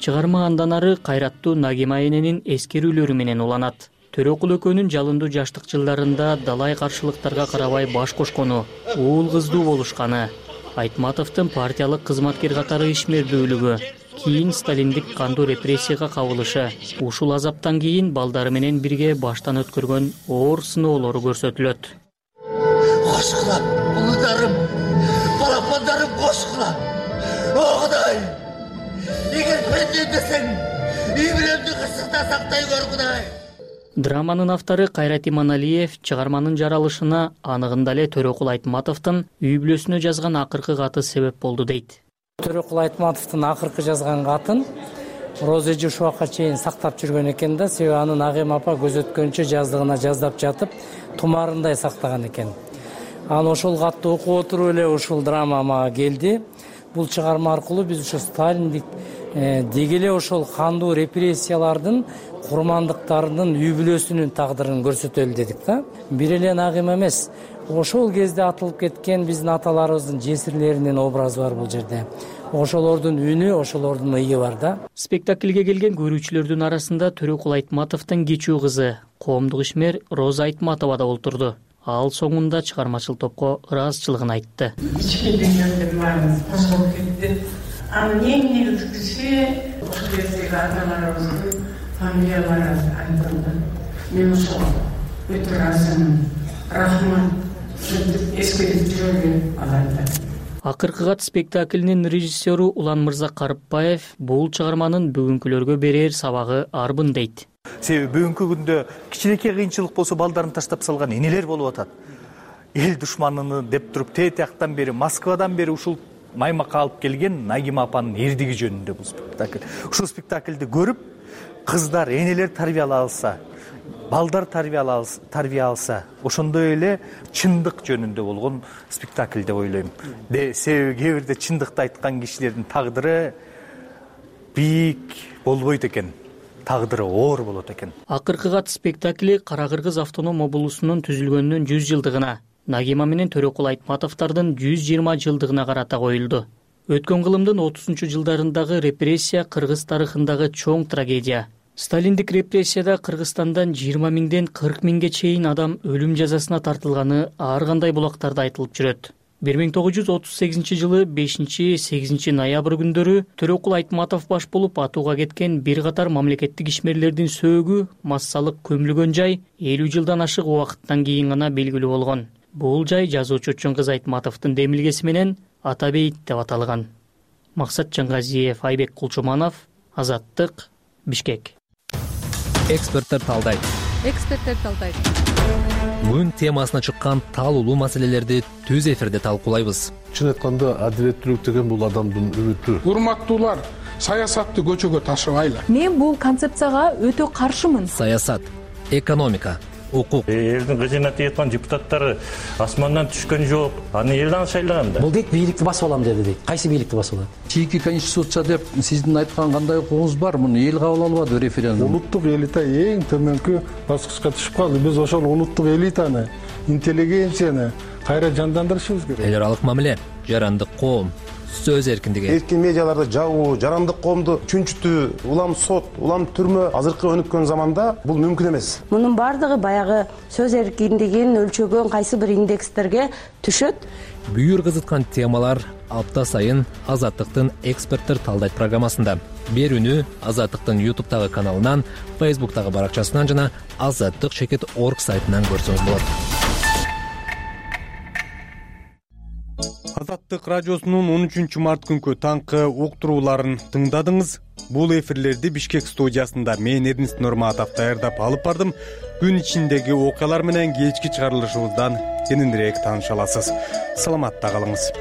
Speaker 26: Чыгарма андан ары кайраттуу Нагима эненин эскерүүлөрү менен уланат. Төрөкул экөөнүн жалындуу жаштык жылдарында далай каршылыктарга карабай баш кошкону, уул кыздуу болушканы, Айтматовдун партиялык кызматкер катары ишмердүүлүгү, кийин сталиндик кандуу репрессияга кабылышы, ушул азаптан кийин балдары менен бирге баштан өткөргөн оор сыноолору көрсөтүлөт.
Speaker 28: Кошкула, улударым, балапандарым кошкула. О Кудай! Эгер бенден десең, ийбиремди кырсыкта сактай көр, Кудай.
Speaker 26: Драманын автору Кайрат Иманалиев чыгарманын жаралышына анығында эле Төрөкул Айтматовдун үй бүлөсүнө жазган акыркы каты себеп болду дейт.
Speaker 29: Төрөкул Айтматовдун акыркы жазган катын Розеже ушуга чейин сактап жүргөн экен да, себеби анын Нагима апа көзөткөнчө жаздыгына жаздап жатып, тумарындай сактаган экен. анан ошол катты окуп отуруп эле ушул драма мага келди. Бул чыгарма аркылуу биз ошо сталиндик деги эле ошол кандуу репрессиялардын курмандыктарынын үй бүлөсүнүн тагдырын көрсөтөлү дедик да. Бир эле Нагима эмес, ошол кезде атылып кеткен биздин аталарыбыздын жесирлеринин образы бар бул жерде. Ошолордун үнү, ошолордун ыйы бар да.
Speaker 26: Спектакльге келген көрүүчүлөрдүн арасында Төрөкул Айтматовдун кичүү кызы, коомдук ишмер Роза Айтматова да олтурду. Ал соңунда чыгармачыл топко ыраазычылыгын айтты.
Speaker 28: Ички дүйнөдөн баарыбыз таш болуп кетти. Анын эң негизгиси ошол кездеги аталарыбыздын фамилиялары айтылды. Мен ошол өтө ыраазымын. Рахмат. Эскерип жүргөн аларды.
Speaker 26: Акыркы кат спектаклинин режиссеру Улан Мырза Карыпбаев бул чыгарманын бүгүнкүлөргө берер сабагы арбын дейт.
Speaker 3: Себеби бүгүнкү күндө кичинекей кыйынчылык болсо балдарын таштап салган энелер болуп атат. Эл душманыны деп туруп тетияктан бери, Москвадан бери ушул маймакка алып келген Нагима апанын эрдиги жөнүндө бул спектакль. Ушул спектакльди көрүп, кыздар, энелер тарбиялай алса, балдар тарбия алса, ошондой эле чындык жөнүндө болгон спектакль деп ойлойм. Себеби кээ бирде чындыкты айткан кишилердин тагдыры бийик болбойт экен. Тагдыры оор болот экен.
Speaker 26: Акыркы кат спектакли Кара Кыргыз автоном облусунун түзүлгөнүнүн 100 жылдыгына, Нагима менен Төрөкул Айтматовдордун 120 жылдыгына карата коюлду. Өткөн кылымдын 30-жылдарындагы репрессия Кыргыз тарыхындагы чоң трагедия. Сталиндик репрессияда Кыргызстандан 20 миңден 40 миңге чейин адам өлүм жазасына тартылганы ар кандай булактарда айтылып жүрөт. 1938 жылы 5-8 ноябрь күндөрү Төрөкул Айтматов баш болуп атууга кеткен бир катар мамлекеттик ишмерлердин сөөгү массалык көмүлгөн жай 50 жылдан ашык убакыттан кийин гана белгилүү болгон. Бул жай жазуучу Чоңкыз Айтматовдун демилгеси менен Ата бейит деп аталган. Максат Жаңгазиев, Айбек Кулчуманов, Азаттык, Бишкек.
Speaker 10: Эксперттер талдайт. Бүгүн темасына чыккан таалуулуу маселелерди түз эфирде талкуулайбыз.
Speaker 11: Чын айтканда адилеттүүлүк деген бул адамдын үмүтү.
Speaker 13: Урматтуулар, саясатты көчөгө ташыбайлы.
Speaker 10: Мен бул концепцияга өтө каршымын. Саясат, экономика, укук.
Speaker 14: Элдин кызына тийаткан депутаттары асмандан түшкөн жок. Аны элден шайлаган да.
Speaker 15: Бул дейт бийликти басып алам деди дейт. Кайсы бийликти басып алат?
Speaker 13: Чийки конституция деп сиздин айткан кандай укугуңуз бар? Муну эл кабыл албады референдум.
Speaker 11: Улуттук элита эң төмөнкү баскычка түшүп калды. Биз ошол улуттук элитаны, интеллигенцияны кайра жандандырышыбыз керек.
Speaker 10: Эл аралык мамиле, жарандык коом, сөз эркиндиги.
Speaker 16: Эркин медиаларды жабуу, жарандык коомду чүнчүтүү, улам сот, улам түрмө азыркы өнүккөн заманда бул мүмкүн эмес.
Speaker 17: Мунун бардыгы баягы сөз эркиндигин өлчөгөн кайсы бир индекстерге түшөт.
Speaker 10: Бүйүр кызыткан темалар апта сайын Азаттыктын эксперттер талдайт программасында. Берүүнү Азаттыктын YouTube'тагы каналынан, Facebook'тагы баракчасынан жана azаттык.org сайтынан көрсөңүз болот.
Speaker 1: Азаттык радиосунун 13 март күнкү таңкы уктурууларын тыңдадыңыз. Бул эфирлерди Бишкек студиясында мен Эрнест Нурматов даярдап алып бардым. Күн ичиндеги окуялар менен кечки чыгарылышыбыздан кененирээк тааныша аласыз. Саламатта калыңыз.